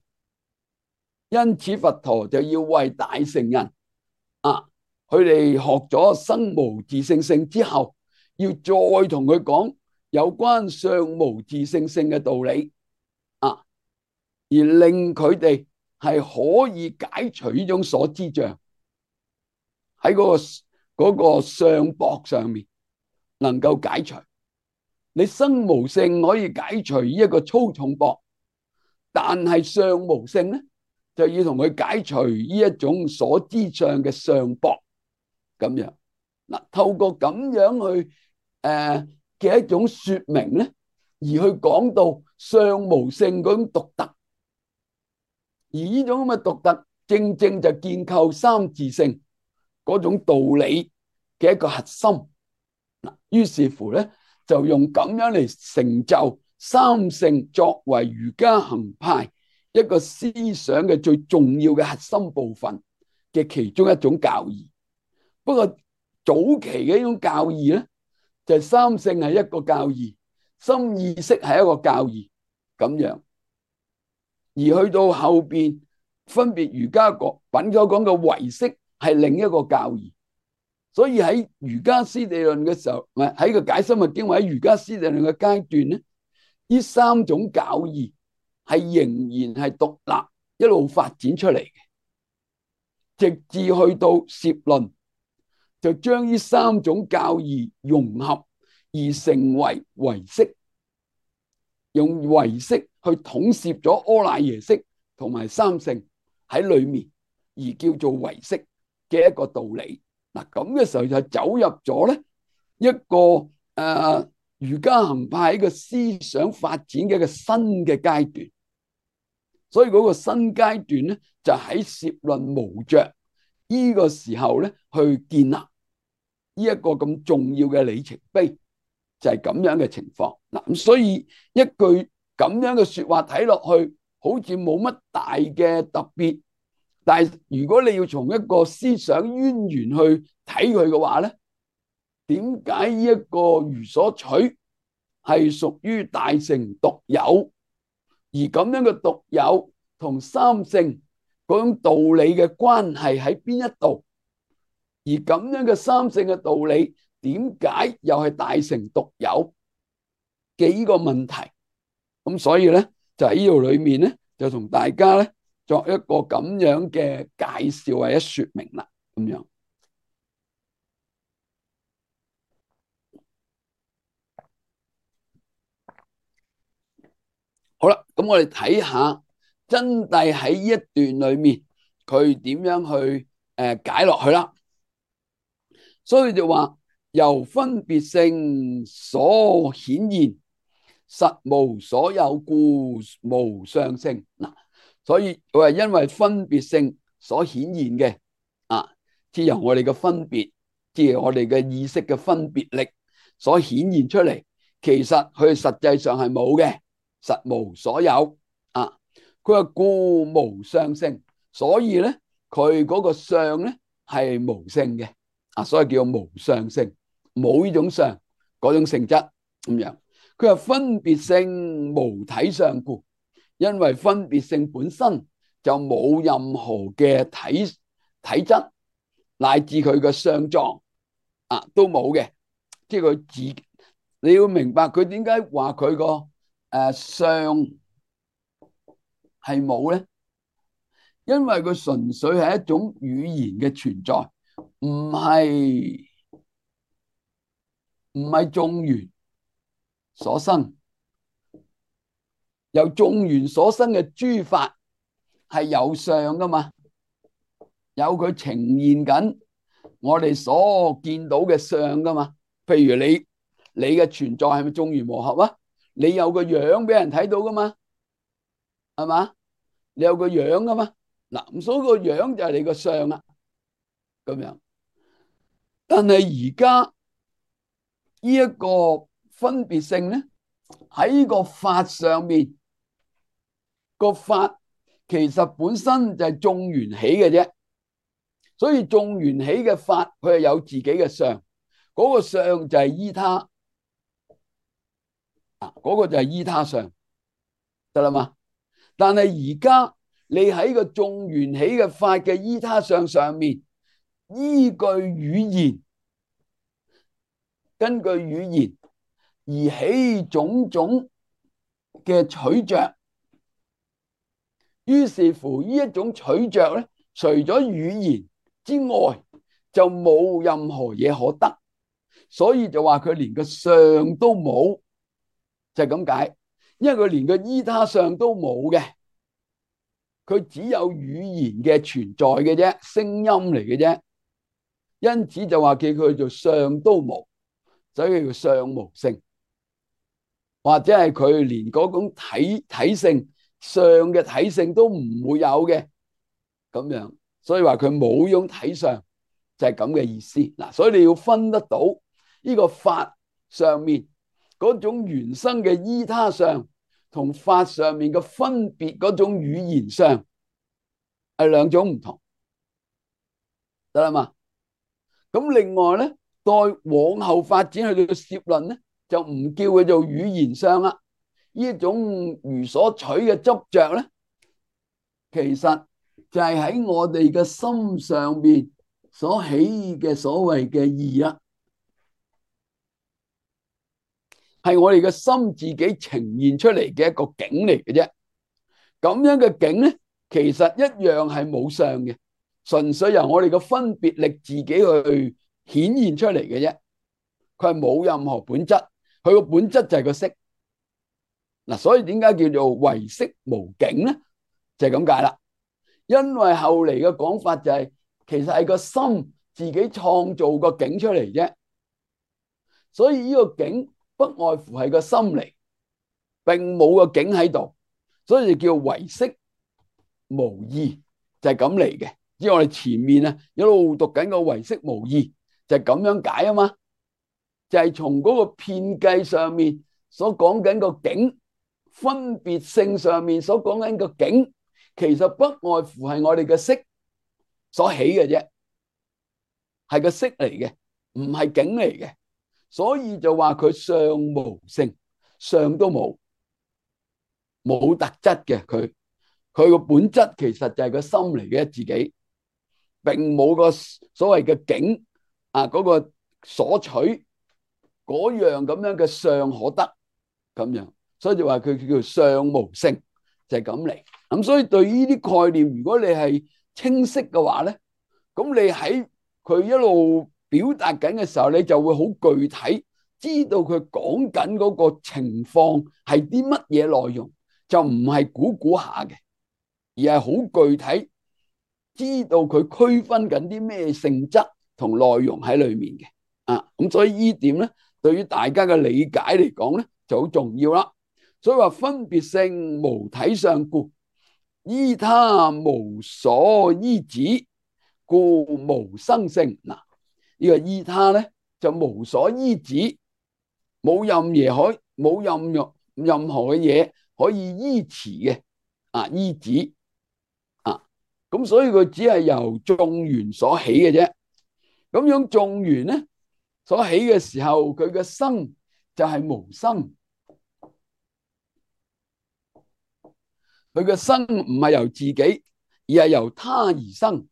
因此佛陀就要為大乘人啊，佢哋學咗生無自性性之後，要再同佢講有關相無自性性嘅道理啊，而令佢哋係可以解除呢種所知障，喺嗰個嗰個相縛上面能夠解除。你生無性可以解除呢一個粗重縛，但係相無性咧，就要同佢解除呢一種所知上嘅相駁咁樣。嗱，透過咁樣去誒嘅、呃、一種說明咧，而去講到相無性嗰種獨特，而呢種咁嘅獨特，正正就建構三自性嗰種道理嘅一個核心。嗱，於是乎咧，就用咁樣嚟成就三性作為儒家行派一個思想嘅最重要嘅核心部分嘅其中一種教義。不過早期嘅呢種教義咧，就係三性係一個教義，心意識係一個教義咁樣。而去到後邊，分別儒家講品所講嘅唯識係另一個教義。所以喺儒家師地論嘅時候，唔係喺個解深密經或者儒家師地論嘅階段咧，呢三種教義係仍然係獨立一路發展出嚟嘅，直至去到攝論，就將呢三種教義融合而成為唯識，用唯識去統攝咗阿賴耶識同埋三性喺裏面，而叫做唯識嘅一個道理。嗱，咁嘅時候就走入咗咧一個誒儒家行派一個思想發展嘅一個新嘅階段。所以嗰個新階段咧，就喺攝論無着呢個時候咧，去建立呢一個咁重要嘅里程碑，就係咁樣嘅情況。嗱，咁所以一句咁樣嘅說話睇落去，好似冇乜大嘅特別。但係如果你要從一個思想淵源去睇佢嘅話咧，點解呢一個儒所取係屬於大乘獨有，而咁樣嘅獨有同三性嗰種道理嘅關係喺邊一度？而咁樣嘅三性嘅道理，點解又係大乘獨有嘅呢個問題？咁所以咧，就喺呢度裏面咧，就同大家咧作一個咁樣嘅介紹或者說明啦，咁樣。好啦，咁我哋睇下真諦喺呢一段裏面，佢點樣去誒解落去啦。所以就話由分別性所顯現，實無所有故無相性。嗱，所以佢係因為分別性所顯現嘅啊，即由我哋嘅分別，即係我哋嘅意識嘅分別力所顯現出嚟，其實佢實際上係冇嘅。實無所有啊！佢話故無相性，所以咧佢嗰個相咧係無性嘅啊，所以叫無相性，冇呢種相嗰種性質咁樣。佢話分別性無體相故，因為分別性本身就冇任何嘅體體質，乃至佢嘅相狀啊都冇嘅，即係佢自你要明白佢點解話佢個。誒，相係冇咧，因為佢純粹係一種語言嘅存在，唔係唔係眾緣所生。由眾緣所生嘅諸法係有相噶嘛，有佢呈現緊我哋所見到嘅相噶嘛。譬如你你嘅存在係咪眾緣和合啊？你有個樣俾人睇到噶嘛，係嘛？你有個樣噶嘛？嗱，咁所以個樣就係你個相啦，咁樣。但係而家呢一個分別性咧，喺個法上面，個法其實本身就係眾緣起嘅啫，所以眾緣起嘅法佢係有自己嘅相，嗰個相就係依他。啊，嗰個就係依他相，得啦嘛。但係而家你喺個眾緣起嘅法嘅依他相上面，依據語言，根據語言而起種種嘅取着，於是乎呢一種取着咧，除咗語言之外，就冇任何嘢可得，所以就話佢連個相都冇。就係咁解，因為佢連個依他相都冇嘅，佢只有語言嘅存在嘅啫，聲音嚟嘅啫，因此就話叫佢做相都無，所以叫相無性，或者係佢連嗰種體體性相嘅體性都唔會有嘅咁樣，所以話佢冇種體相，就係咁嘅意思嗱。所以你要分得到呢個法上面嗰種原生嘅依他相，同法上面嘅分別嗰種語言相係兩種唔同，得啦嘛？咁另外咧，再往後發展去到攝論咧，就唔叫佢做語言相啦。呢一種如所取嘅執着咧，其實就係喺我哋嘅心上邊所起嘅所謂嘅義啦，係我哋嘅心自己呈現出嚟嘅一個境嚟嘅啫。咁樣嘅境咧，其實一樣係冇相嘅，純粹由我哋嘅分別力自己去顯現出嚟嘅啫。佢係冇任何本質，佢個本質就係個色嗱。所以點解叫做唯色無境咧？就係咁解啦。因為後嚟嘅講法就係，其實係個心自己創造個境出嚟啫。所以呢個境不外乎係個心嚟，並冇個境喺度，所以就叫唯色無義，就係咁嚟嘅。因為我哋前面啊一路讀緊個唯色無義，就係咁樣解啊嘛。就係從嗰個遍計上面所講緊個境，分別性上面所講緊個境，其實不外乎係我哋嘅色所起嘅啫，係個色嚟嘅，唔係境嚟嘅。所以就話佢相無性，相都冇，冇特質嘅。佢佢個本質其實就係個心嚟嘅自己，並冇個所謂嘅境啊，嗰個所取嗰樣咁樣嘅相可得咁樣，所以就話佢叫相無性，就係咁嚟。咁所以對呢啲概念，如果你係清晰嘅話咧，咁你喺佢一路表達緊嘅時候，你就會好具體知道佢講緊嗰個情況係啲乜嘢內容，就唔係估估下嘅，而係好具體知道佢區分緊啲咩性質同內容喺裏面嘅啊。咁所以呢點咧，對於大家嘅理解嚟講咧，就好重要啦。所以話分別性無體相故，依他無所依止，故無生性。嗱，呢個依他咧就無所依止，冇任嘢可，冇任任任何嘅嘢可以依持嘅啊，依止啊。咁所以佢只係由眾緣所起嘅啫。咁樣眾緣咧所起嘅時候，佢嘅生就係無生。佢嘅生唔係由自己，而係由他而生，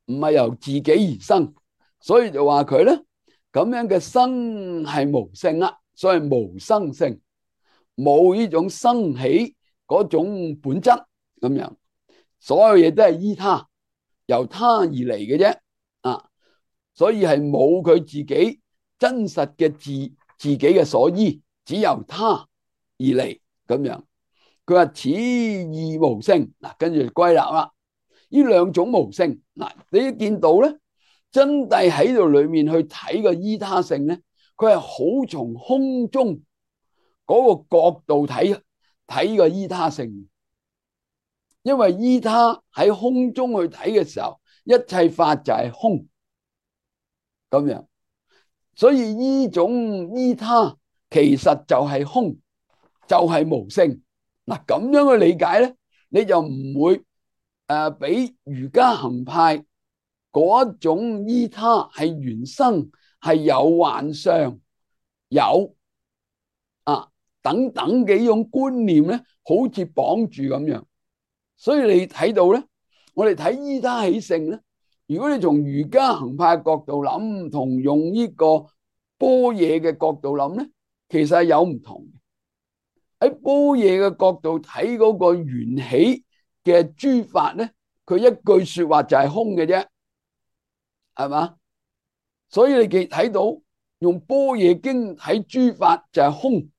唔係由自己而生。所以就話佢咧咁樣嘅生係無性啦，所以無生性，冇呢種生起嗰種本質咁樣。所有嘢都係依他，由他而嚟嘅啫啊，所以係冇佢自己真實嘅自自己嘅所依，只由他而嚟咁樣。佢話此二無性嗱，跟住歸納啦。呢兩種無性嗱，你見到咧，真諦喺度裏面去睇個依他性咧，佢係好從空中嗰個角度睇睇個依他性，因為依他喺空中去睇嘅時候，一切法就係空咁樣，所以呢種依他其實就係空，就係無性。嗱，咁樣嘅理解咧，你就唔會誒俾瑜伽行派嗰種依他係原生係有幻相有啊等等幾種觀念咧，好似綁住咁樣。所以你睇到咧，我哋睇依他起性咧，如果你從瑜伽行派嘅角度諗，同用呢個般若嘅角度諗咧，其實係有唔同嘅。喺般若嘅角度睇嗰個緣起嘅諸法咧，佢一句說話就係空嘅啫，係嘛？所以你記睇到用般若經睇諸法就係空，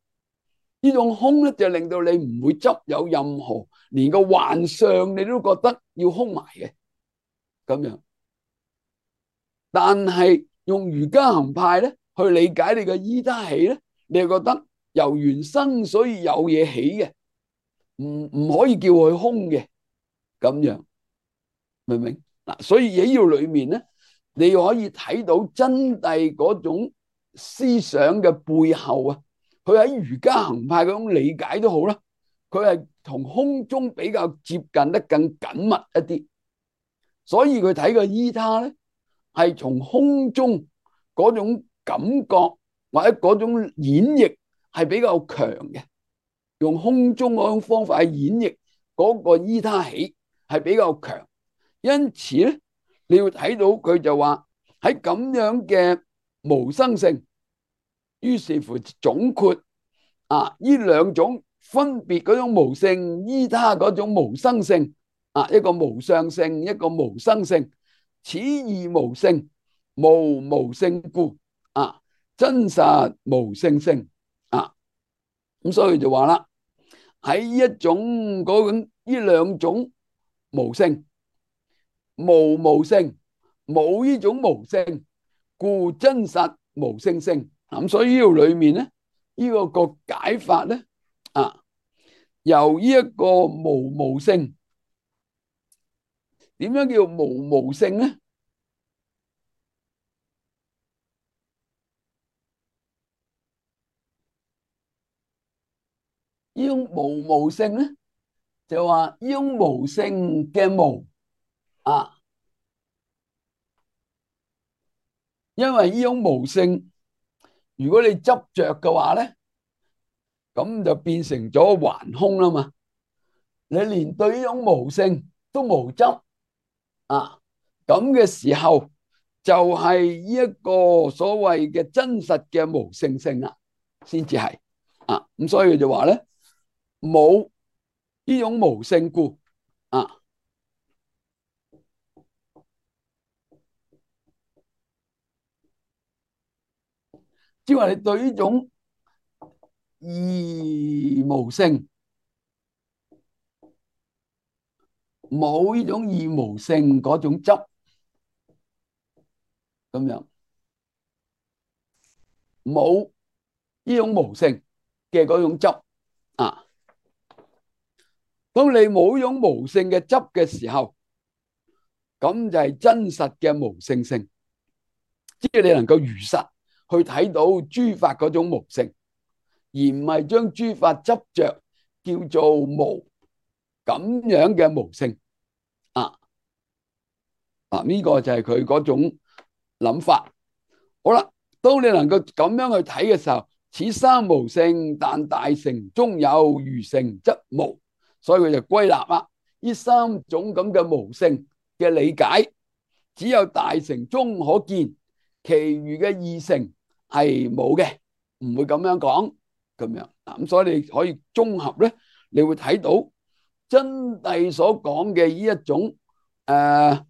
呢種空咧就令到你唔會執有任何連個幻象你都覺得要空埋嘅咁樣。但係用瑜伽行派咧去理解你嘅依他起咧，你就覺得由緣生，所以有嘢起嘅，唔唔可以叫佢空嘅咁樣，明唔明嗱？所以喺呢裏面咧，你可以睇到真諦嗰種思想嘅背後啊，佢喺瑜伽行派嗰種理解都好啦，佢係同空中比較接近得更緊密一啲，所以佢睇個依他咧係從空中嗰種感覺或者嗰種演繹係比較強嘅，用空中嗰種方法去演繹嗰個依他起係比較強，因此咧你要睇到佢就話喺咁樣嘅無生性，於是乎總括啊呢兩種分別嗰種無性依他嗰種無生性啊，一個無相性，一個無生性，此二無性，無無性故啊，真實無性性啊，咁所以就話啦，喺一種嗰種呢兩種無性，無無性，冇呢種無性，故真實無性性。咁所以呢度裏面咧，呢、這個個解法咧啊，由呢一個無無性，點樣叫無無性咧？呢種無無性咧，就話呢種無性嘅無啊，因為呢種無性，如果你執着嘅話咧，咁就變成咗頑空啦嘛。你連對呢種無性都無執啊，咁嘅時候就係呢一個所謂嘅真實嘅無性性啦，先至係啊。咁所以就話咧，冇呢種無性故啊，即係話你對呢種二無性冇呢種二無性嗰種執咁樣，冇呢種無性嘅嗰種執啊。當你冇呢種無性嘅執嘅時候，咁就係真實嘅無性性，即係你能夠如實去睇到諸法嗰種無性，而唔係將諸法執着叫做無咁樣嘅無性啊。嗱，呢個就係佢嗰種諗法。好啦，當你能夠咁樣去睇嘅時候，此三無性，但大乘中有餘乘則無，所以佢就歸納啦。呢三種咁嘅無性嘅理解，只有大乘中可見，其餘嘅二乘係冇嘅，唔會咁樣講咁樣。咁所以你可以綜合咧，你會睇到真諦所講嘅呢一種誒、呃，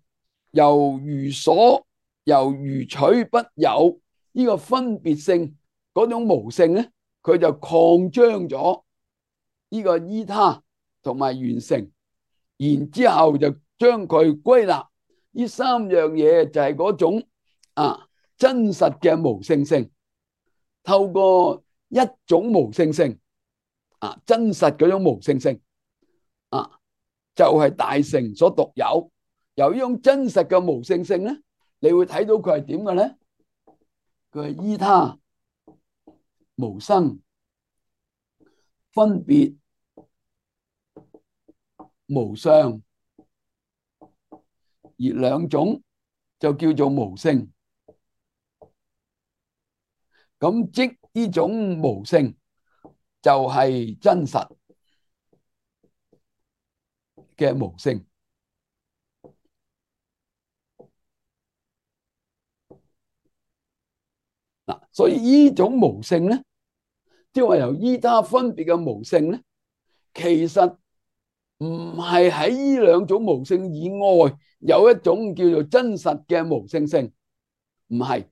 由餘所由餘取不有呢個分別性嗰種無性咧，佢就擴張咗呢個依他同埋緣成，然之後就將佢歸納呢三樣嘢就係嗰種啊真實嘅無性性，透過一種無性性啊真實嗰種無性性啊就係、是、大乘所獨有。由呢種真實嘅無性性咧，你會睇到佢係點嘅咧？佢係依他無生，分別無相，而兩種就叫做無性。咁即呢種無性就係真實嘅無性。嗱，所以呢種無性咧，即係話由依他分別嘅無性咧，其實唔係喺呢兩種無性以外有一種叫做真實嘅無性性，唔係，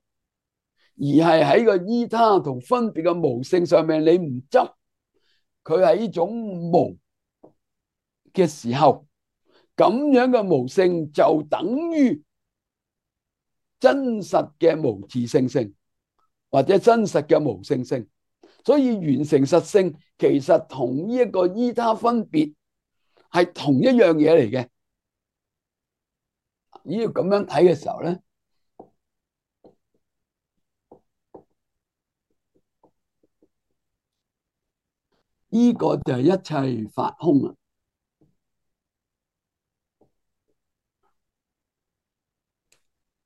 而係喺個依他同分別嘅無性上面，你唔執佢係呢種無嘅時候，咁樣嘅無性就等於真實嘅無自性性，或者真實嘅無性性。所以完成實性其實同呢一個依他分別係同一樣嘢嚟嘅。要咁樣睇嘅時候咧，呢個就係一切法空啦。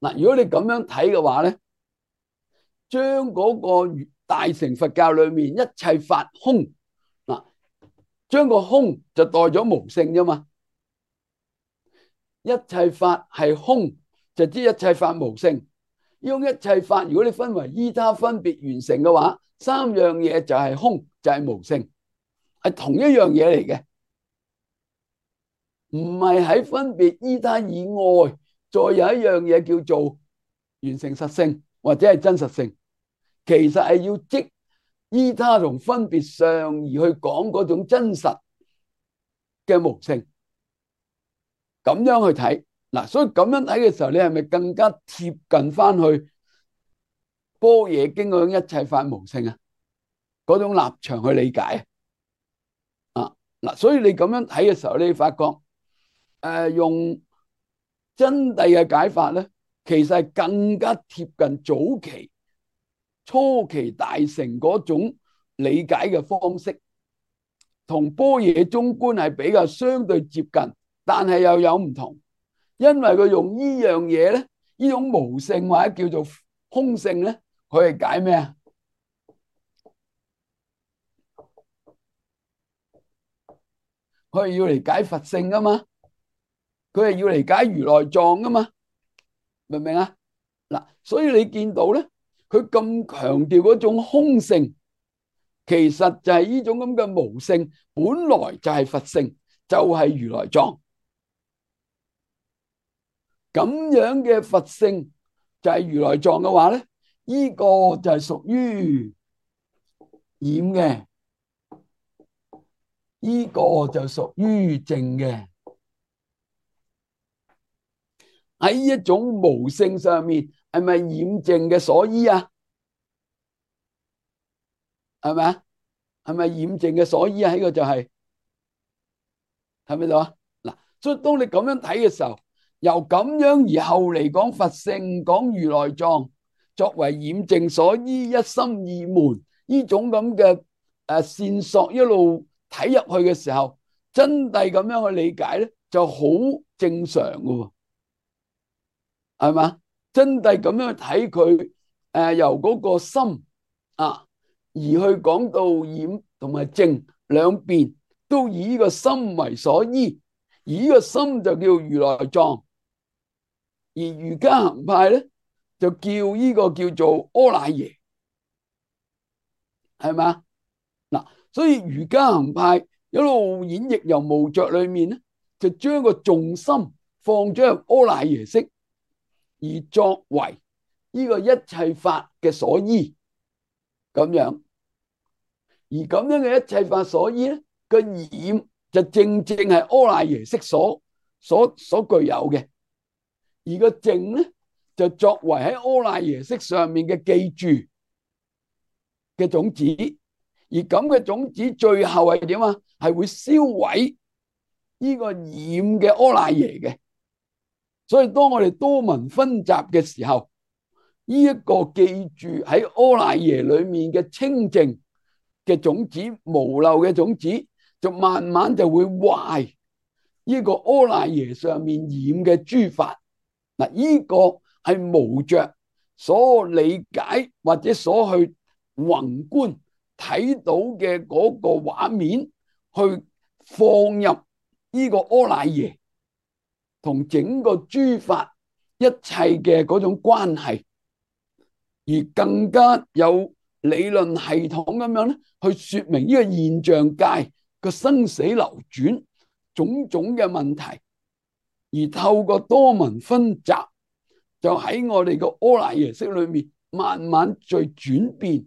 嗱，如果你咁樣睇嘅話咧，將嗰個大乘佛教裏面一切法空，嗱，將個空就代咗無性啫嘛。一切法係空，就知一切法無性。呢種一切法，如果你分為依他分別完成嘅話，三樣嘢就係空，就係無性，係同一樣嘢嚟嘅，唔係喺分別依他以外，再有一樣嘢叫做完成實性或者係真實性。其實係要即依他同分別上而去講嗰種真實嘅無性，咁樣去睇嗱。所以咁樣睇嘅時候，你係咪更加貼近翻去般若經嗰種一切法無性啊？嗰種立場去理解啊嗱。所以你咁樣睇嘅時候，你發覺誒、呃、用真諦嘅解法咧，其實係更加貼近早期初期大乘嗰種理解嘅方式，同般若中觀係比較相對接近，但係又有唔同，因為佢用呢樣嘢咧，呢種無性或者叫做空性咧，佢係解咩啊？佢係要嚟解佛性噶嘛，佢係要嚟解如來藏噶嘛，明唔明啊？嗱，所以你見到咧，佢咁強調嗰種空性，其實就係呢種咁嘅無性，本來就係佛性，就係如來藏。咁樣嘅佛性就係如來藏嘅話咧，呢個就係屬於染嘅，呢個就屬於淨嘅。喺一種無性上面，係咪染淨嘅所依啊？係咪啊？係咪染淨嘅所依啊？呢個就係係咪度啊？嗱，所以當你咁樣睇嘅時候，由咁樣而後嚟講佛性，講如來藏作為染淨所依，一心二門呢種咁嘅誒線索一路睇入去嘅時候，真諦咁樣去理解咧，就好正常嘅，係嘛？真諦咁樣去睇佢誒，由嗰個心啊，而去講到染同埋淨兩邊，都以呢個心為所依，而呢個心就叫如來藏。而瑜伽行派咧，就叫呢個叫做阿賴耶，係咪？嗱，所以瑜伽行派一路演繹由無着裏面咧，就將個重心放咗入阿賴耶識，而作為呢個一切法嘅所依，咁樣。而咁樣嘅一切法所依咧，個染就正正係阿賴耶識所所所具有嘅。而個淨咧，就作為喺阿賴耶識上面嘅記住嘅種子，而咁嘅種子最後係點啊？係會燒毀呢個染嘅阿賴耶嘅。所以當我哋多聞分集嘅時候，呢一個記住喺阿賴耶裏面嘅清淨嘅種子、無漏嘅種子，就慢慢就會壞呢個阿賴耶上面染嘅諸法。嗱，呢個係無着所理解或者所去宏觀睇到嘅嗰個畫面，去放入呢個阿賴耶同整個諸法一切嘅嗰種關係，而更加有理論系統咁樣咧，去說明呢個現象界個生死流轉種種嘅問題。而透過多聞分集，就喺我哋個阿賴耶識裏面慢慢再轉變，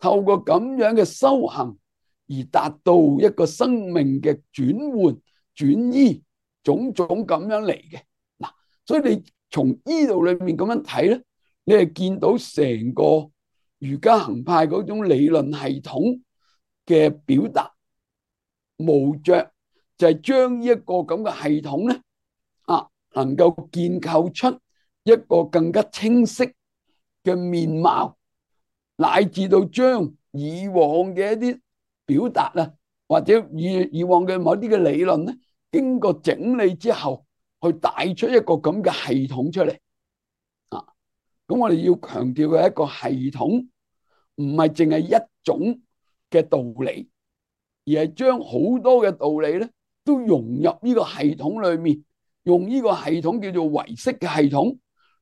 透過咁樣嘅修行，而而達到一個生命嘅轉換、轉移，種種咁樣嚟嘅。嗱，所以你從呢度裏面咁樣睇咧，你係見到成個瑜伽行派嗰種理論系統嘅表達，無着就係將呢一個咁嘅系統咧，啊，能夠建構出一個更加清晰嘅面貌，乃至到將以往嘅一啲表達啊，或者以以往嘅某啲嘅理論咧，經過整理之後，去帶出一個咁嘅系統出嚟啊。咁我哋要強調嘅一個系統，唔係淨係一種嘅道理，而係將好多嘅道理咧，都融入呢個系統裏面，用呢個系統叫做唯識嘅系統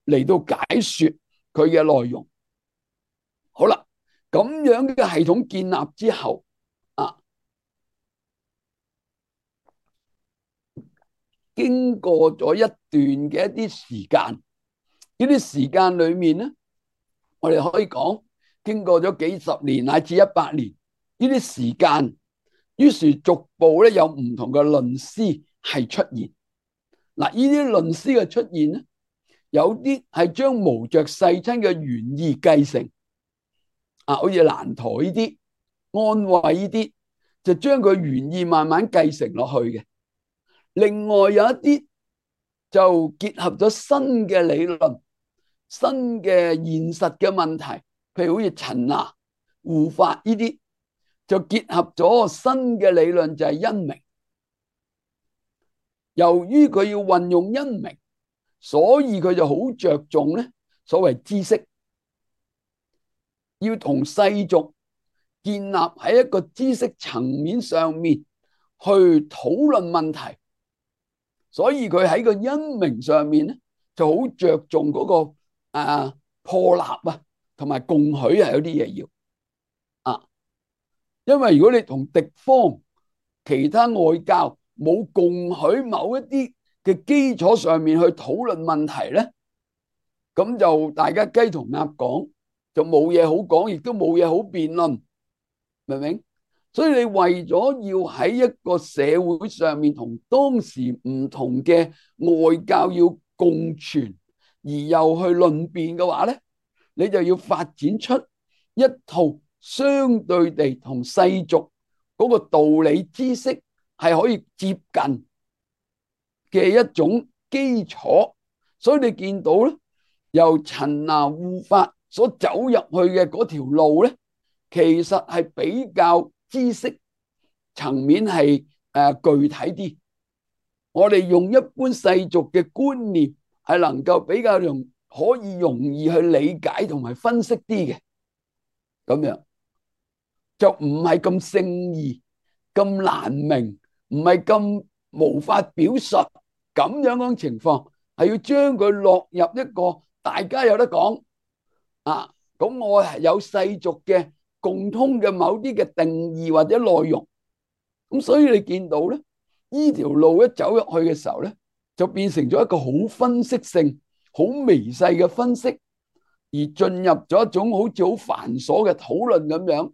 嚟到解說佢嘅內容。好啦，咁樣嘅系統建立之後啊，經過咗一段嘅一啲時間，呢啲時間裏面咧，我哋可以講經過咗幾十年乃至一百年呢啲時間，於是逐步咧有唔同嘅論師係出現。嗱，呢啲論師嘅出現咧，有啲係將無着世親嘅原意繼承，啊，好似蘭陀呢啲、安慧呢啲，就將佢原意慢慢繼承落去嘅。另外有一啲就結合咗新嘅理論、新嘅現實嘅問題，譬如好似陳那、護法呢啲，就結合咗新嘅理論，就係因明。由於佢要運用因明，所以佢就好着重咧所謂知識，要同世俗建立喺一個知識層面上面去討論問題。所以佢喺個因明上面咧，就好着重嗰個啊破立啊，同埋共許係有啲嘢要啊。因為如果你同敵方其他外教冇共許某一啲嘅基礎上面去討論問題咧，咁就大家雞同鴨講，就冇嘢好講，亦都冇嘢好辯論，明唔明？所以你為咗要喺一個社會上面同當時唔同嘅外教要共存，而又去論辯嘅話咧，你就要發展出一套相對地同世俗嗰個道理知識係可以接近嘅一種基礎。所以你見到咧，由陳那護法所走入去嘅嗰條路咧，其實係比較知識層面係誒具體啲。我哋用一般世俗嘅觀念係能夠比較容可以容易去理解同埋分析啲嘅，咁樣就唔係咁聖義、咁難明，唔係咁無法表述咁樣嗰種情況，係要將佢落入一個大家有得講啊。咁我係有世俗嘅共通嘅某啲嘅定義或者內容，咁所以你見到咧，呢條路一走入去嘅時候咧，就變成咗一個好分析性、好微細嘅分析，而進入咗一種好似好繁瑣嘅討論咁樣。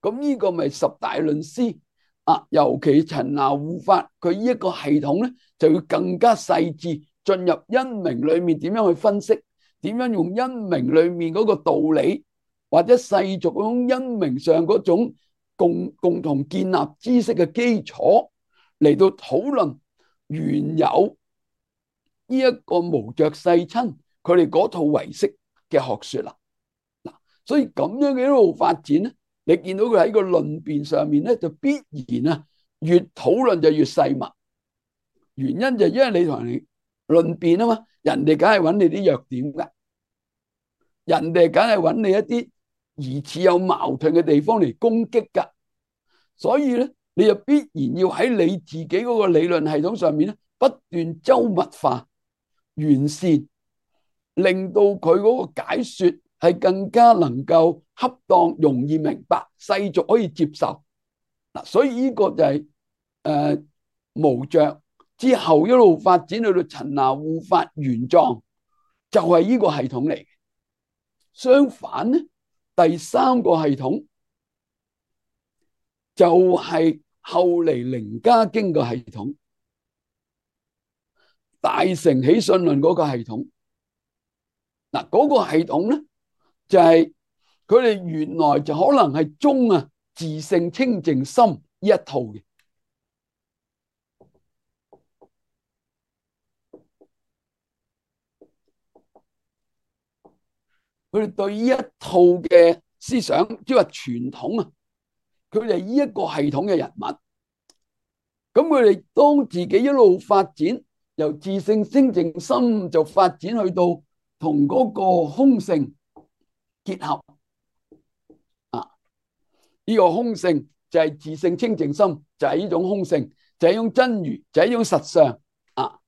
咁呢個咪十大論師啊，尤其陳那護法佢呢一個系統咧，就要更加細緻進入因明裏面點樣去分析，點樣用因明裏面嗰個道理，或者世俗嗰種因明上嗰種共共同建立知識嘅基礎嚟到討論原有呢一個無着世親佢哋嗰套唯識嘅學說啦。嗱，所以咁樣嘅一路發展咧，你見到佢喺個論辯上面咧，就必然啊越討論就越細密。原因就因為你同人哋論辯啊嘛，人哋梗係揾你啲弱點噶，人哋梗係揾你一啲疑似有矛盾嘅地方嚟攻擊噶，所以咧你就必然要喺你自己嗰個理論系統上面咧不斷周密化、完善，令到佢嗰個解說係更加能夠恰當、容易明白、世俗可以接受。嗱，所以呢個就係、是、誒、呃、無着之後一路發展去到陳那護法玄奘，就係、是、呢個系統嚟嘅。相反咧，第三個系統就係後嚟靈家經嘅系統，大乘起信論嗰個系統。嗱，嗰個系統咧就係佢哋原來就可能係中啊自性清淨心呢一套嘅。佢哋對呢一套嘅思想，即係話傳統啊，佢哋係呢一個系統嘅人物。咁佢哋當自己一路發展，由自性清淨心就發展去到同嗰個空性結合啊！呢個空性就係自性清淨心，就係呢種空性，就係呢種真如，就係呢種實相啊！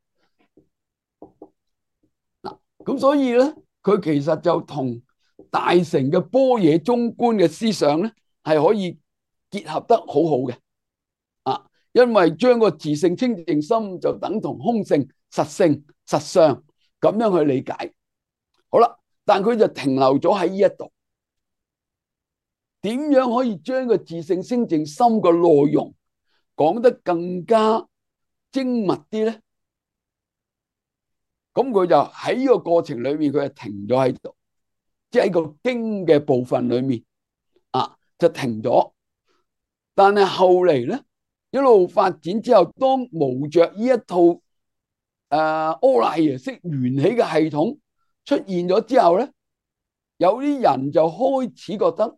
嗱，咁所以咧，佢其實就同大乘嘅般若中觀嘅思想咧，係可以結合得好好嘅啊！因為將個自性清淨心就等同空性、實性、實相咁樣去理解。好啦，但佢就停留咗喺呢一度。點樣可以將個自性清淨心嘅內容講得更加精密啲咧？咁佢就喺呢個過程裏面，佢就停咗喺度，即係喺個經嘅部分裏面啊，就停咗。但係後嚟咧，一路發展之後，當無着呢一套誒阿賴耶識緣起嘅系統出現咗之後咧，有啲人就開始覺得，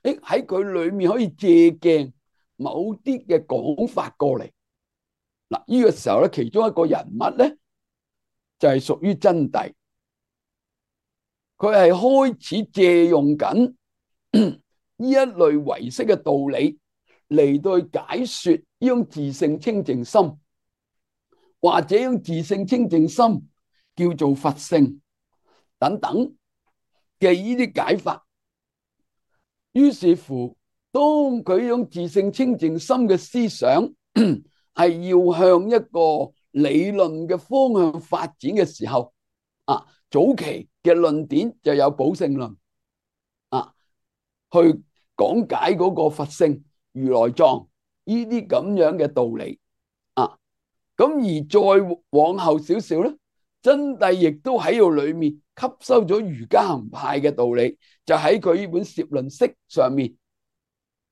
誒喺佢裏面可以借鏡某啲嘅講法過嚟。嗱，呢個時候咧，其中一個人物咧就係屬於真諦，佢係開始借用緊呢一類唯識嘅道理嚟到去解說呢種自性清淨心，或者用自性清淨心叫做佛性等等嘅呢啲解法。於是乎，當佢用自性清淨心嘅思想係要向一個理論嘅方向發展嘅時候，啊，早期嘅論點就有寶性論，啊，去講解嗰個佛性、如來藏呢啲咁樣嘅道理，啊，咁而再往後少少咧，真諦亦都喺度裏面吸收咗瑜伽行派嘅道理，就喺佢呢本攝論釋上面，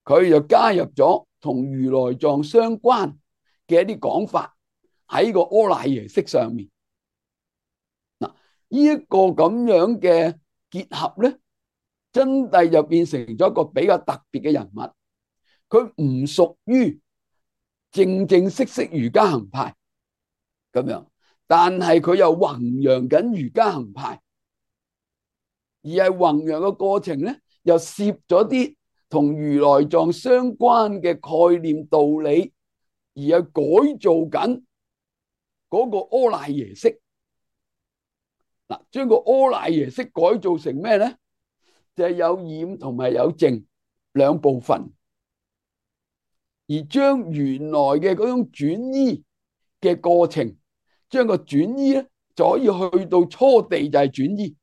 佢就加入咗同如來藏相關嘅一啲講法喺個阿賴耶識上面。嗱，呢一個咁樣嘅結合咧，真諦就變成咗一個比較特別嘅人物。佢唔屬於正正式式瑜伽行派咁樣，但係佢又弘揚緊瑜伽行派，而係弘揚嘅過程咧，又攝咗啲同如來藏相關嘅概念道理，而係改造緊嗰個阿賴耶識。嗱，將個阿賴耶識改造成咩咧？就係有染同埋有淨兩部分，而將原來嘅嗰種轉依嘅過程，將個轉依咧就可以去到初地就係轉依，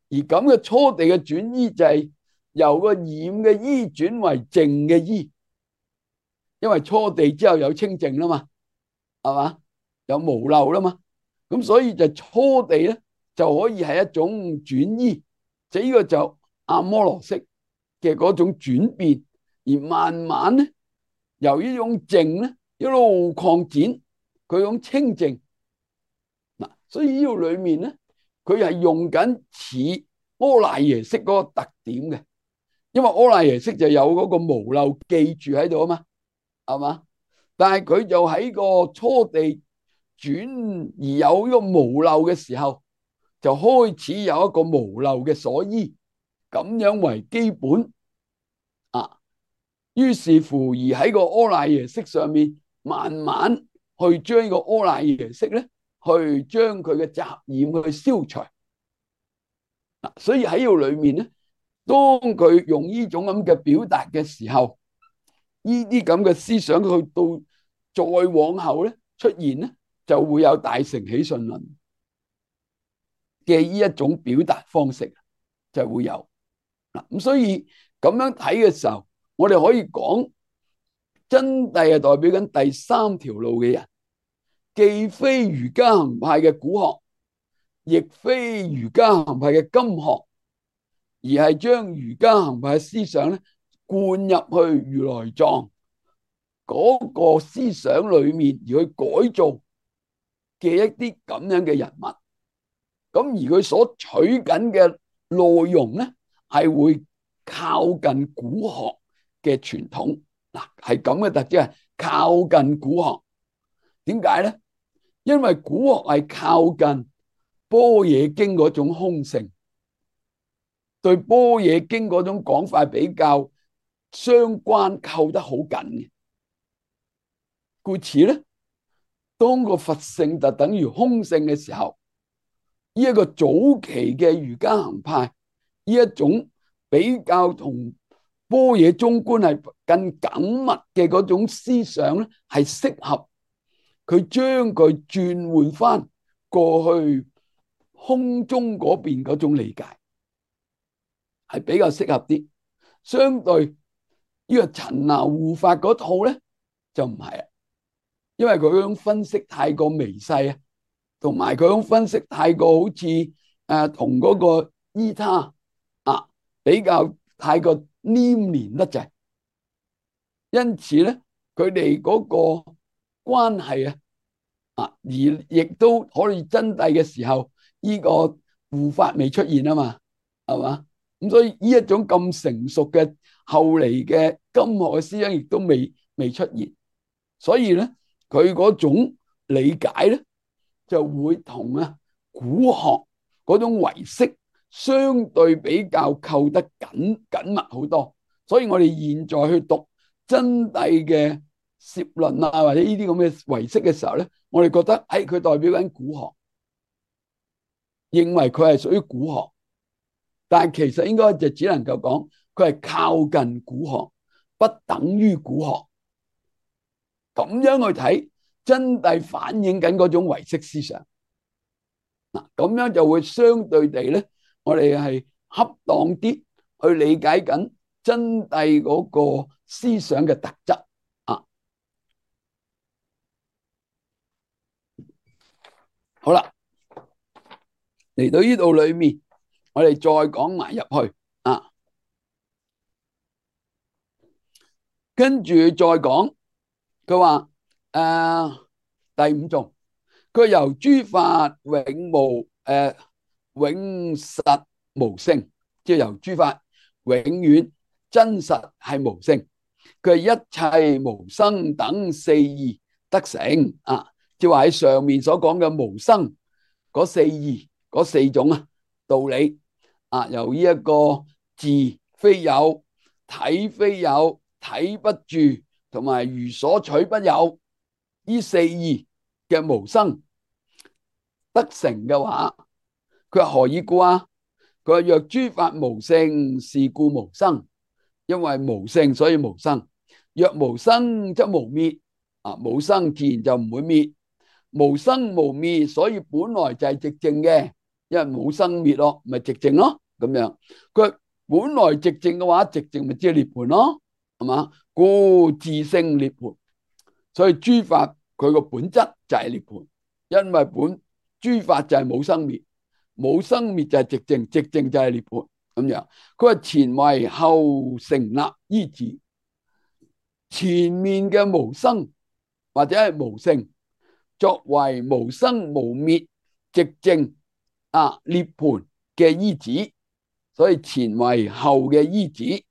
而咁嘅初地嘅轉依就係由個染嘅依轉為淨嘅依，因為初地之後有清淨啦嘛，係嘛，有無漏啦嘛，咁所以就初地咧就可以係一種轉依，就呢個就阿摩羅識嘅嗰種轉變，而慢慢咧由呢種淨咧一路擴展佢種清淨。嗱，所以呢度裏面咧，佢係用緊似阿賴耶識嗰個特點嘅，因為阿賴耶識就有嗰個無漏記住喺度啊嘛，係嘛？但係佢就喺個初地轉而有呢個無漏嘅時候，就開始有一個無漏嘅所依，咁樣為基本啊。於是乎而喺個阿賴耶識上面，慢慢去將個阿賴耶識咧，去將佢嘅雜染去消除。嗱，所以喺呢度裏面咧，當佢用呢種咁嘅表達嘅時候，呢啲咁嘅思想去到再往後咧出現咧，就會有大乘起信論嘅呢一種表達方式就會有。嗱，咁所以咁樣睇嘅時候，我哋可以講真諦係代表緊第三條路嘅人，既非瑜伽行派嘅古學，亦非瑜伽行派嘅今學，而係將瑜伽行派嘅思想咧灌入去如來藏嗰個思想裏面，而去改造嘅一啲咁樣嘅人物。咁而佢所取緊嘅內容咧，係會靠近古學嘅傳統。嗱，係咁嘅特質，係靠近古學。點解咧？因為古學係靠近般若經嗰種空性，對般若經嗰種講法比較相關，扣得好緊嘅。故此咧，當個佛性就等於空性嘅時候，呢一個早期嘅瑜伽行派，呢一種比較同般若中觀係更緊密嘅嗰種思想咧，係適合佢將佢轉換翻過去空中嗰邊嗰種理解，係比較適合啲。相對呢個陳那護法嗰套咧就唔係啊，因為佢嗰種分析太過微細啊，同埋佢嗰種分析太過好似誒同嗰個依他啊比較太過黏連得滯，因此咧佢哋嗰個關係啊啊而亦都可以真諦嘅時候，呢個護法未出現啊嘛，係嘛？咁所以呢一種咁成熟嘅後嚟嘅今學嘅思想亦都未未出現，所以咧佢嗰種理解咧就會同啊古學嗰種唯識相對比較扣得緊緊密好多。所以我哋現在去讀真諦嘅攝論啊，或者呢啲咁嘅唯識嘅時候咧，我哋覺得誒佢代表緊古學，認為佢係屬於古學。但係其實應該就只能夠講佢係靠近古學，不等於古學。咁樣去睇真諦反映緊嗰種唯識思想。嗱，咁樣就會相對地咧，我哋係恰當啲去理解緊真諦嗰個思想嘅特質啊。好啦，嚟到呢度裏面，我哋再講埋入去啊，跟住再講，佢話誒第五種，佢由諸法永無誒永實無性，即係由諸法永遠真實係無性，佢係一切無生等四義得成啊，即係話喺上面所講嘅無生嗰四義嗰四種啊道理啊，由呢一個自非有、體非有、體不住，同埋如所取不有呢四義嘅無生得成嘅話，佢話何以故啊？佢話若諸法無性，是故無生，因為無性所以無生。若無生則無滅啊，無生自然就唔會滅。無生無滅，所以本來就係寂靜嘅，因為冇生滅咯，咪寂靜咯咁樣。佢本來寂靜嘅話，寂靜咪即係涅槃咯，係嘛？故自性涅槃，所以諸法佢個本質就係涅槃，因為本諸法就係冇生滅，冇生滅就係寂靜，寂靜就係涅槃咁樣。佢話前為後成立依止，前面嘅無生或者係無性，作為無生無滅寂靜啊涅槃嘅依止，所以前為後嘅依止。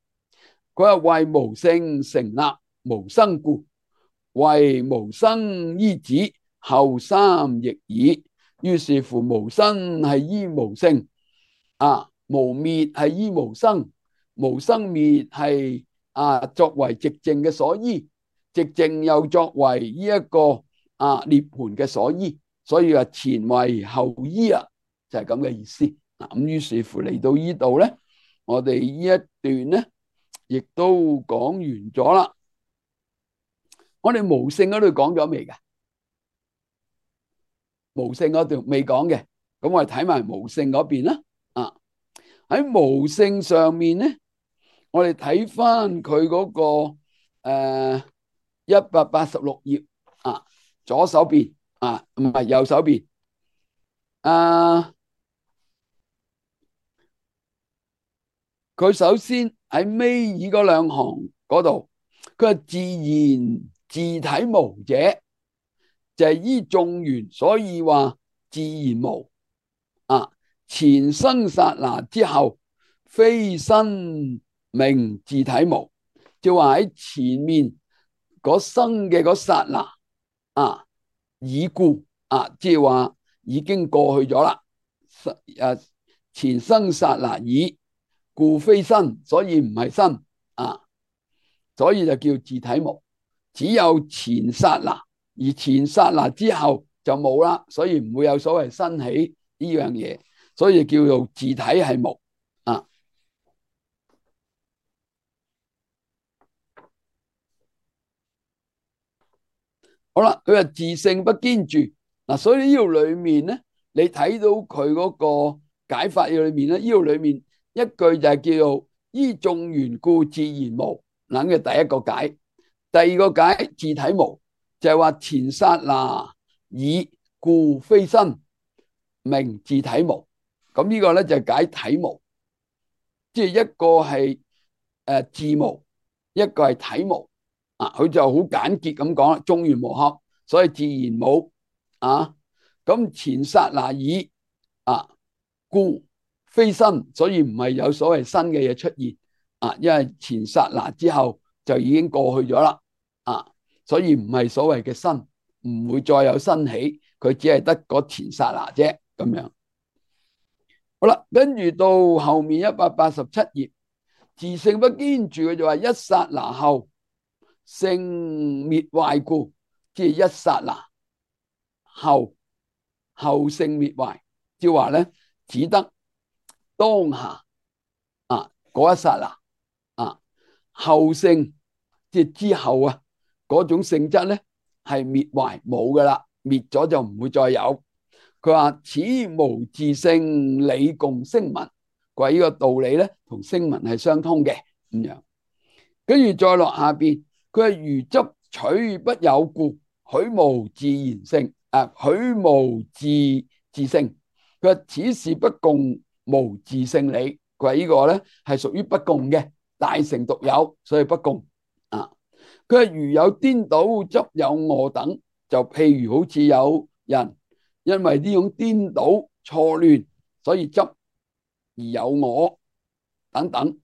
佢話為無性成立無生故，為無生依止後三亦爾。於是乎無生係依無性啊，無滅係依無生，無生滅係啊作為寂靜嘅所依，寂靜又作為呢一個啊涅槃嘅所依，所以話前為後依啊，就係咁嘅意思。咁於是乎嚟到呢度咧，我哋呢一段咧亦都講完咗啦。我哋無性嗰度講咗未㗎？無性嗰度未講嘅，咁我哋睇埋無性嗰邊啦。啊，喺無性上面咧，我哋睇翻佢嗰個誒一百八十六頁啊，左手邊啊，唔係右手邊啊。佢首先喺尾二嗰兩行嗰度，佢話自然自體無者，就係依眾緣，所以話自然無啊。前生剎那之後，非身名自體無，就話喺前面嗰生嘅嗰剎那啊，已故啊，即係話已經過去咗啦。誒，前生剎那已故非身，所以唔係身啊，所以就叫自體無。只有前剎那，而前剎那之後就冇啦，所以唔會有所謂生起呢樣嘢，所以叫做自體係無啊。好啦，佢話自性不堅住嗱，所以呢度裏面咧，你睇到佢嗰個解法嘅裏面咧，呢度裏面一句就係叫做依眾緣故自然無，諗嘅第一個解。第二個解自體無，就係話前剎那已故非身，名自體無。咁呢個咧就係解體無，即係一個係誒自無，一個係體無啊。佢就好簡潔咁講啦，眾緣無合，所以自然無啊。咁前剎那已啊故非身，所以唔係有所謂新嘅嘢出現啊，因為前剎那之後就已經過去咗啦啊，所以唔係所謂嘅新，唔會再有新起，佢只係得嗰前剎那啫咁樣。好啦，跟住到後面一百八十七頁，自性不堅住，佢就話一剎那後性滅壞故，即係一剎那後後性滅壞，即係話咧只得當下啊嗰一剎那啊後性，即係之後啊嗰種性質咧係滅壞冇噶啦，滅咗就唔會再有。佢話此無自性理共聲聞，佢話呢個道理咧同聲聞係相通嘅咁樣。跟住再落下邊，佢係如執取不有故，許無自然性啊，許無自自性。佢話此事不共無自性理，佢話呢個咧係屬於不共嘅，大乘獨有，所以不共啊。佢係如有顛倒執有我等，就譬如好似有人因為呢種顛倒錯亂，所以執而有我等等。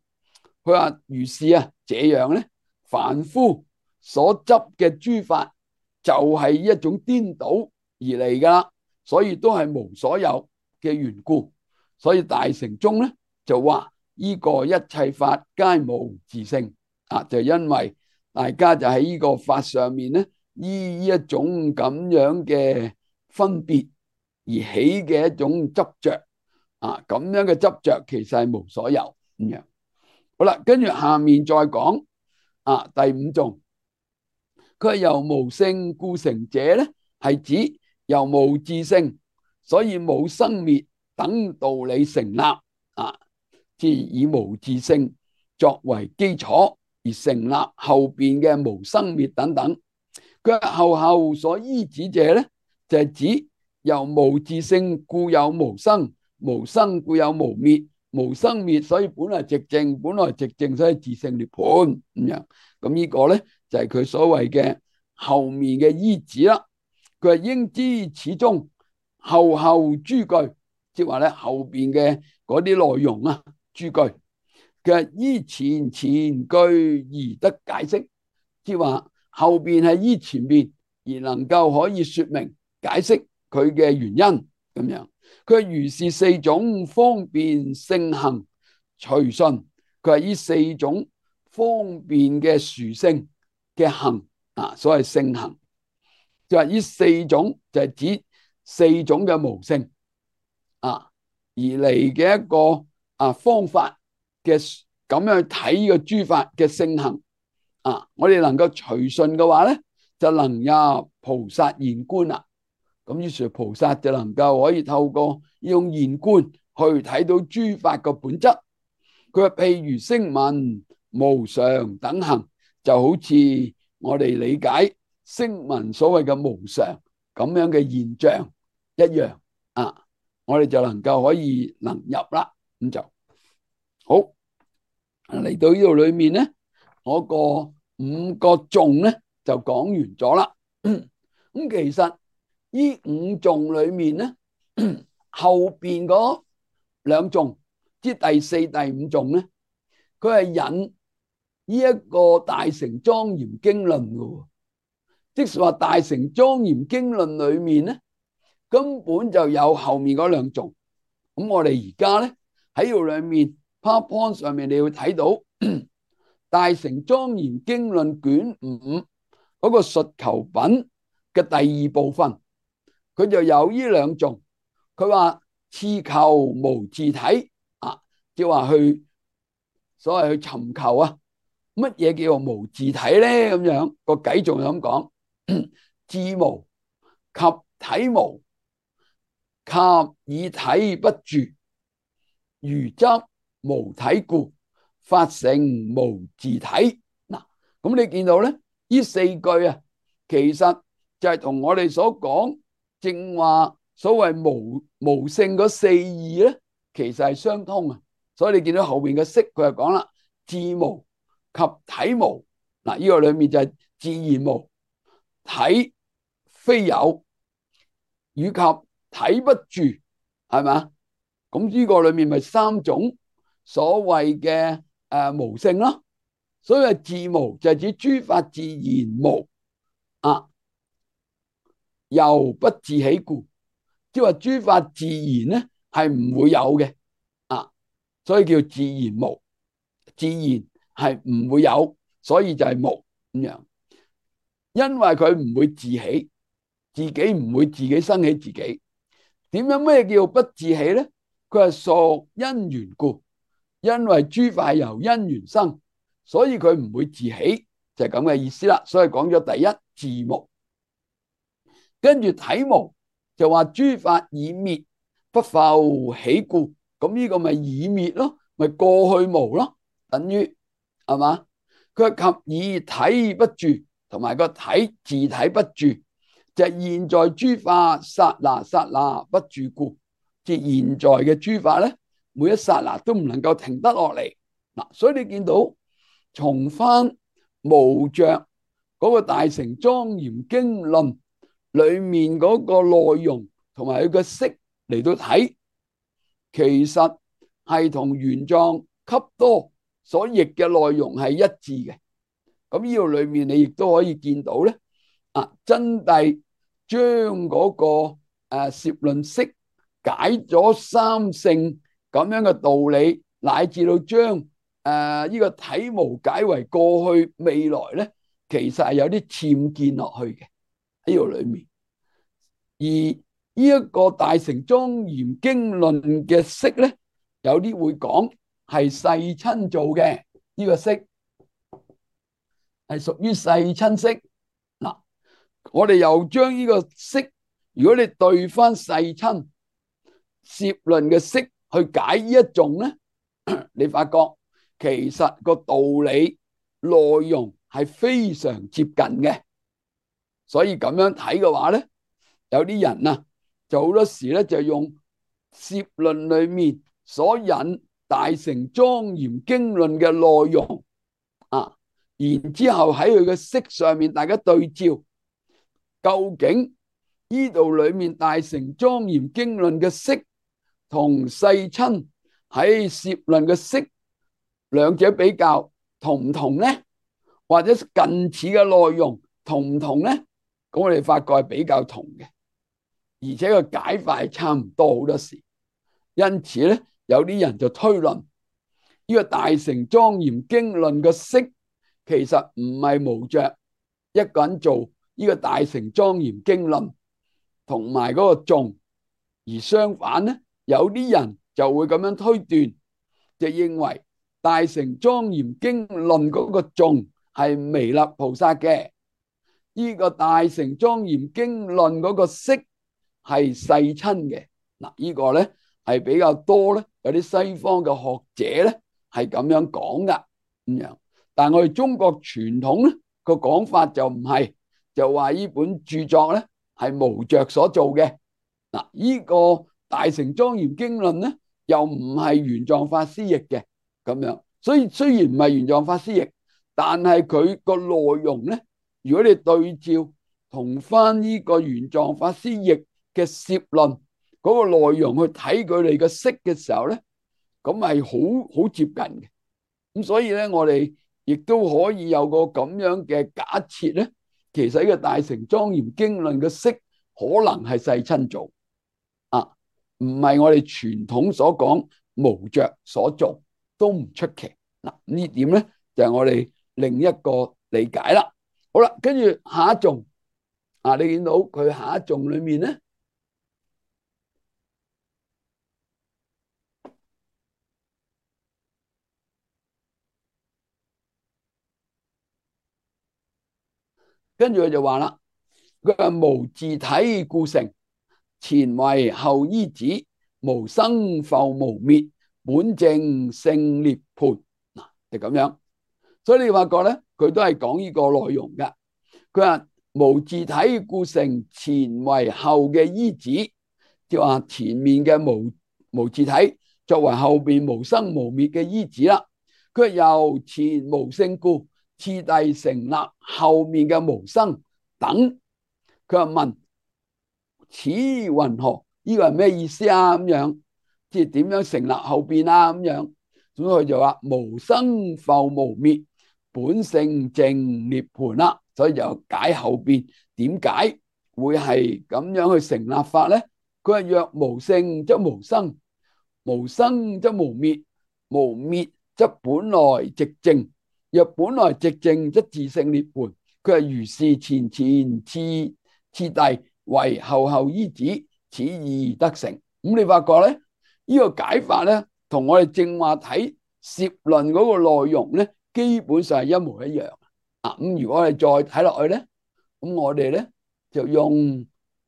佢話如是啊，這樣咧，凡夫所執嘅諸法就係一種顛倒而嚟噶，所以都係無所有嘅緣故。所以大乘中咧就話呢個一切法皆無自性啊，就因為大家就喺呢個法上面咧，依一種咁樣嘅分別而起嘅一種執着啊，咁樣嘅執着其實係無所有咁樣。好啦，跟住下面再講啊，第五種，佢係由無性故成者咧，係指由無自性，所以冇生滅等道理成立啊，即係以無自性作為基礎而成立後邊嘅無生滅等等。佢後後所依止者咧，就係指由無自性故有無生，無生故有無滅，無生滅，所以本來寂靜，本來寂靜，所以自性涅槃咁樣。咁呢個咧就係佢所謂嘅後面嘅依止啦。佢係應知此中後後諸句，即係話咧後邊嘅嗰啲內容啊，諸句嘅依前前句而得解釋，即係話後邊係依前邊而能夠可以說明解釋佢嘅原因咁樣。佢如是四種方便性行隨順，佢係呢四種方便嘅殊勝嘅行啊，所謂性行就係呢四種，就係指四種嘅無性啊而嚟嘅一個啊方法嘅咁樣去睇呢個諸法嘅性行啊，我哋能夠隨順嘅話咧，就能入菩薩現觀啦。咁於是菩薩就能夠可以透過呢種現觀去睇到諸法嘅本質。佢話譬如聲聞無常等行，就好似我哋理解聲聞所謂嘅無常咁樣嘅現象一樣啊，我哋就能夠可以能入啦。咁就好嚟到呢度裏面咧，我個五個頌咧就講完咗啦。咁其實呢五頌裏面咧，後邊嗰兩頌，即第四、第五頌咧，佢係引呢一個大乘莊嚴經論嘅，即是話大乘莊嚴經論裏面咧，根本就有後面嗰兩頌。咁我哋而家咧喺度裏面 PowerPoint 上面你要睇到大乘莊嚴經論卷五嗰個述求品嘅第二部分，佢就有呢兩頌。佢話次求無自體啊，即係話去所謂去尋求啊，乜嘢叫做無自體咧？咁樣個偈仲咁講，自無及體無，及以體不住，如執無體故，法成無自體。嗱，咁你見到咧，呢四句啊，其實就係同我哋所講正話所謂無無性嗰四義咧，其實係相通啊。所以你見到後面嘅釋，佢就講啦，自無及體無。嗱，呢個裏面就係自然無，體非有，以及體不住，係咪？咁呢個裏面咪三種所謂嘅誒無性咯。所以自無就係指諸法自然無啊，由不自起故，即係話諸法自然咧係唔會有嘅啊，所以叫自然無。自然係唔會有，所以就係無咁樣。因為佢唔會自起，自己唔會自己生起自己。點樣咩叫不自起咧？佢係屬因緣故，因為諸法由因緣生，所以佢唔會自起，就係咁嘅意思啦。所以講咗第一自無，跟住體無就話諸法已滅，不復起故。咁呢個咪已滅咯，咪過去無咯，等於係嘛？佢及以體不住，同埋個體自體不住，就係現在諸法剎那剎那不住故。即係現在嘅諸法咧，每一剎那都唔能夠停得落嚟。嗱，所以你見到從翻無着嗰個大乘莊嚴經論裏面嗰個內容同埋佢個釋嚟到睇，其實係同玄奘笈多所譯嘅內容係一致嘅。咁呢度裏面你亦都可以見到咧，啊，真諦將嗰個誒攝論釋解咗三性咁樣嘅道理，乃至到將誒呢個體無解為過去未來咧，其實係有啲僭建落去嘅喺呢度裏面。而呢一個大乘莊嚴經論嘅釋咧，有啲會講係世親做嘅，呢個釋係屬於世親釋。嗱，我哋又將呢個釋，如果你對翻世親攝論嘅釋去解呢一頌咧，你發覺其實個道理內容係非常接近嘅。所以咁樣睇嘅話咧，有啲人啊就好多時咧就用攝論裏面所引大乘莊嚴經論嘅內容啊，然之後喺佢嘅釋上面大家對照，究竟呢度裏面大乘莊嚴經論嘅釋同世親喺攝論嘅釋兩者比較同唔同呢？或者近似嘅內容同唔同呢？咁我哋發覺係比較同嘅，而且個解法係差唔多好多時。因此咧，有啲人就推論呢個大乘莊嚴經論嘅釋其實唔係無着一個人做呢個大乘莊嚴經論同埋嗰個頌，而相反咧，有啲人就會咁樣推斷，就認為大乘莊嚴經論嗰個頌係彌勒菩薩嘅，呢個大乘莊嚴經論嗰個釋係世親嘅。嗱，呢個咧係比較多咧，有啲西方嘅學者咧係咁樣講噶咁樣。但係我哋中國傳統咧個講法就唔係，就話呢本著作咧係無着所做嘅。嗱，呢個大乘莊嚴經論咧又唔係玄奘法師譯嘅咁樣，所以雖然唔係玄奘法師譯，但係佢個內容咧，如果你對照同翻呢個玄奘法師譯嘅攝論嗰個內容去睇佢哋嘅釋嘅時候咧，咁係好好接近嘅。咁所以咧，我哋亦都可以有個咁樣嘅假設咧，其實呢個大乘莊嚴經論嘅釋可能係世親做啊，唔係我哋傳統所講無着所做，都唔出奇。嗱，呢點咧就係我哋另一個理解啦。好啦，跟住下一頌啊，你見到佢下一頌裏面咧，跟住佢就話啦，佢話無自體故成，前為後依止，無生復無滅，本淨勝涅槃。嗱，就咁樣。所以你發覺咧，佢都係講呢個內容噶。佢話無自體故成，前為後嘅依止，即係話前面嘅無無自體作為後邊無生無滅嘅依止啦。佢由前無性故，次第成立後面嘅無生等。佢話問此云何？呢個係咩意思啊？咁樣即係點樣成立後邊啊？咁樣，咁佢就話無生復無滅，本性淨涅槃啦。所以就解後邊點解會係咁樣去成立法咧？佢話若無性則無生，無生則無滅，無滅則本來寂靜，若本來寂靜則自性涅槃。佢話如是前前次次第為後後依止，此義得成。咁你發覺咧，呢、這個解法咧，同我哋正話睇攝論嗰個內容咧，基本上係一模一樣。啊，咁如果我哋再睇落去咧，咁我哋咧就用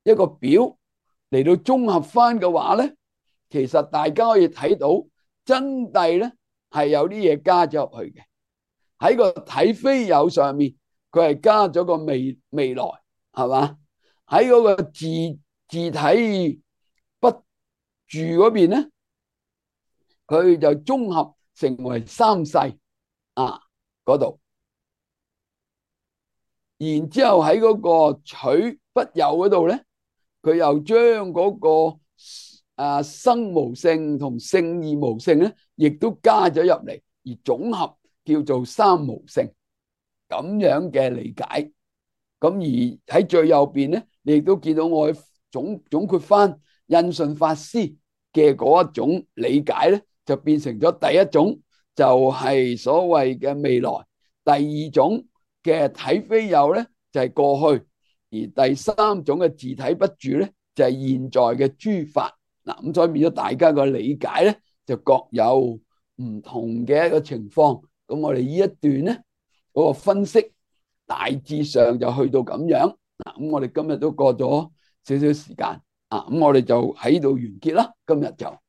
一個表嚟到綜合翻嘅話咧，其實大家可以睇到真諦咧係有啲嘢加咗入去嘅。喺個體非有上面，佢係加咗個未未來，係嘛？喺嗰個自自體不住嗰邊咧，佢就綜合成為三世啊嗰度。然之後喺嗰個取不有嗰度咧，佢又將嗰個啊生無性同性異無性咧，亦都加咗入嚟，而總合叫做三無性咁樣嘅理解。咁而喺最右邊咧，你亦都見到我總總括翻印順法師嘅嗰一種理解咧，就變成咗第一種就係所謂嘅未來，第二種嘅體非有咧就係過去，而第三種嘅自體不住咧就係現在嘅諸法。嗱，咁所以變咗大家個理解咧就各有唔同嘅一個情況。咁我哋呢一段咧嗰個分析大致上就去到咁樣。嗱，咁我哋今日都過咗少少時間啊，咁我哋就喺度完結啦，今日就。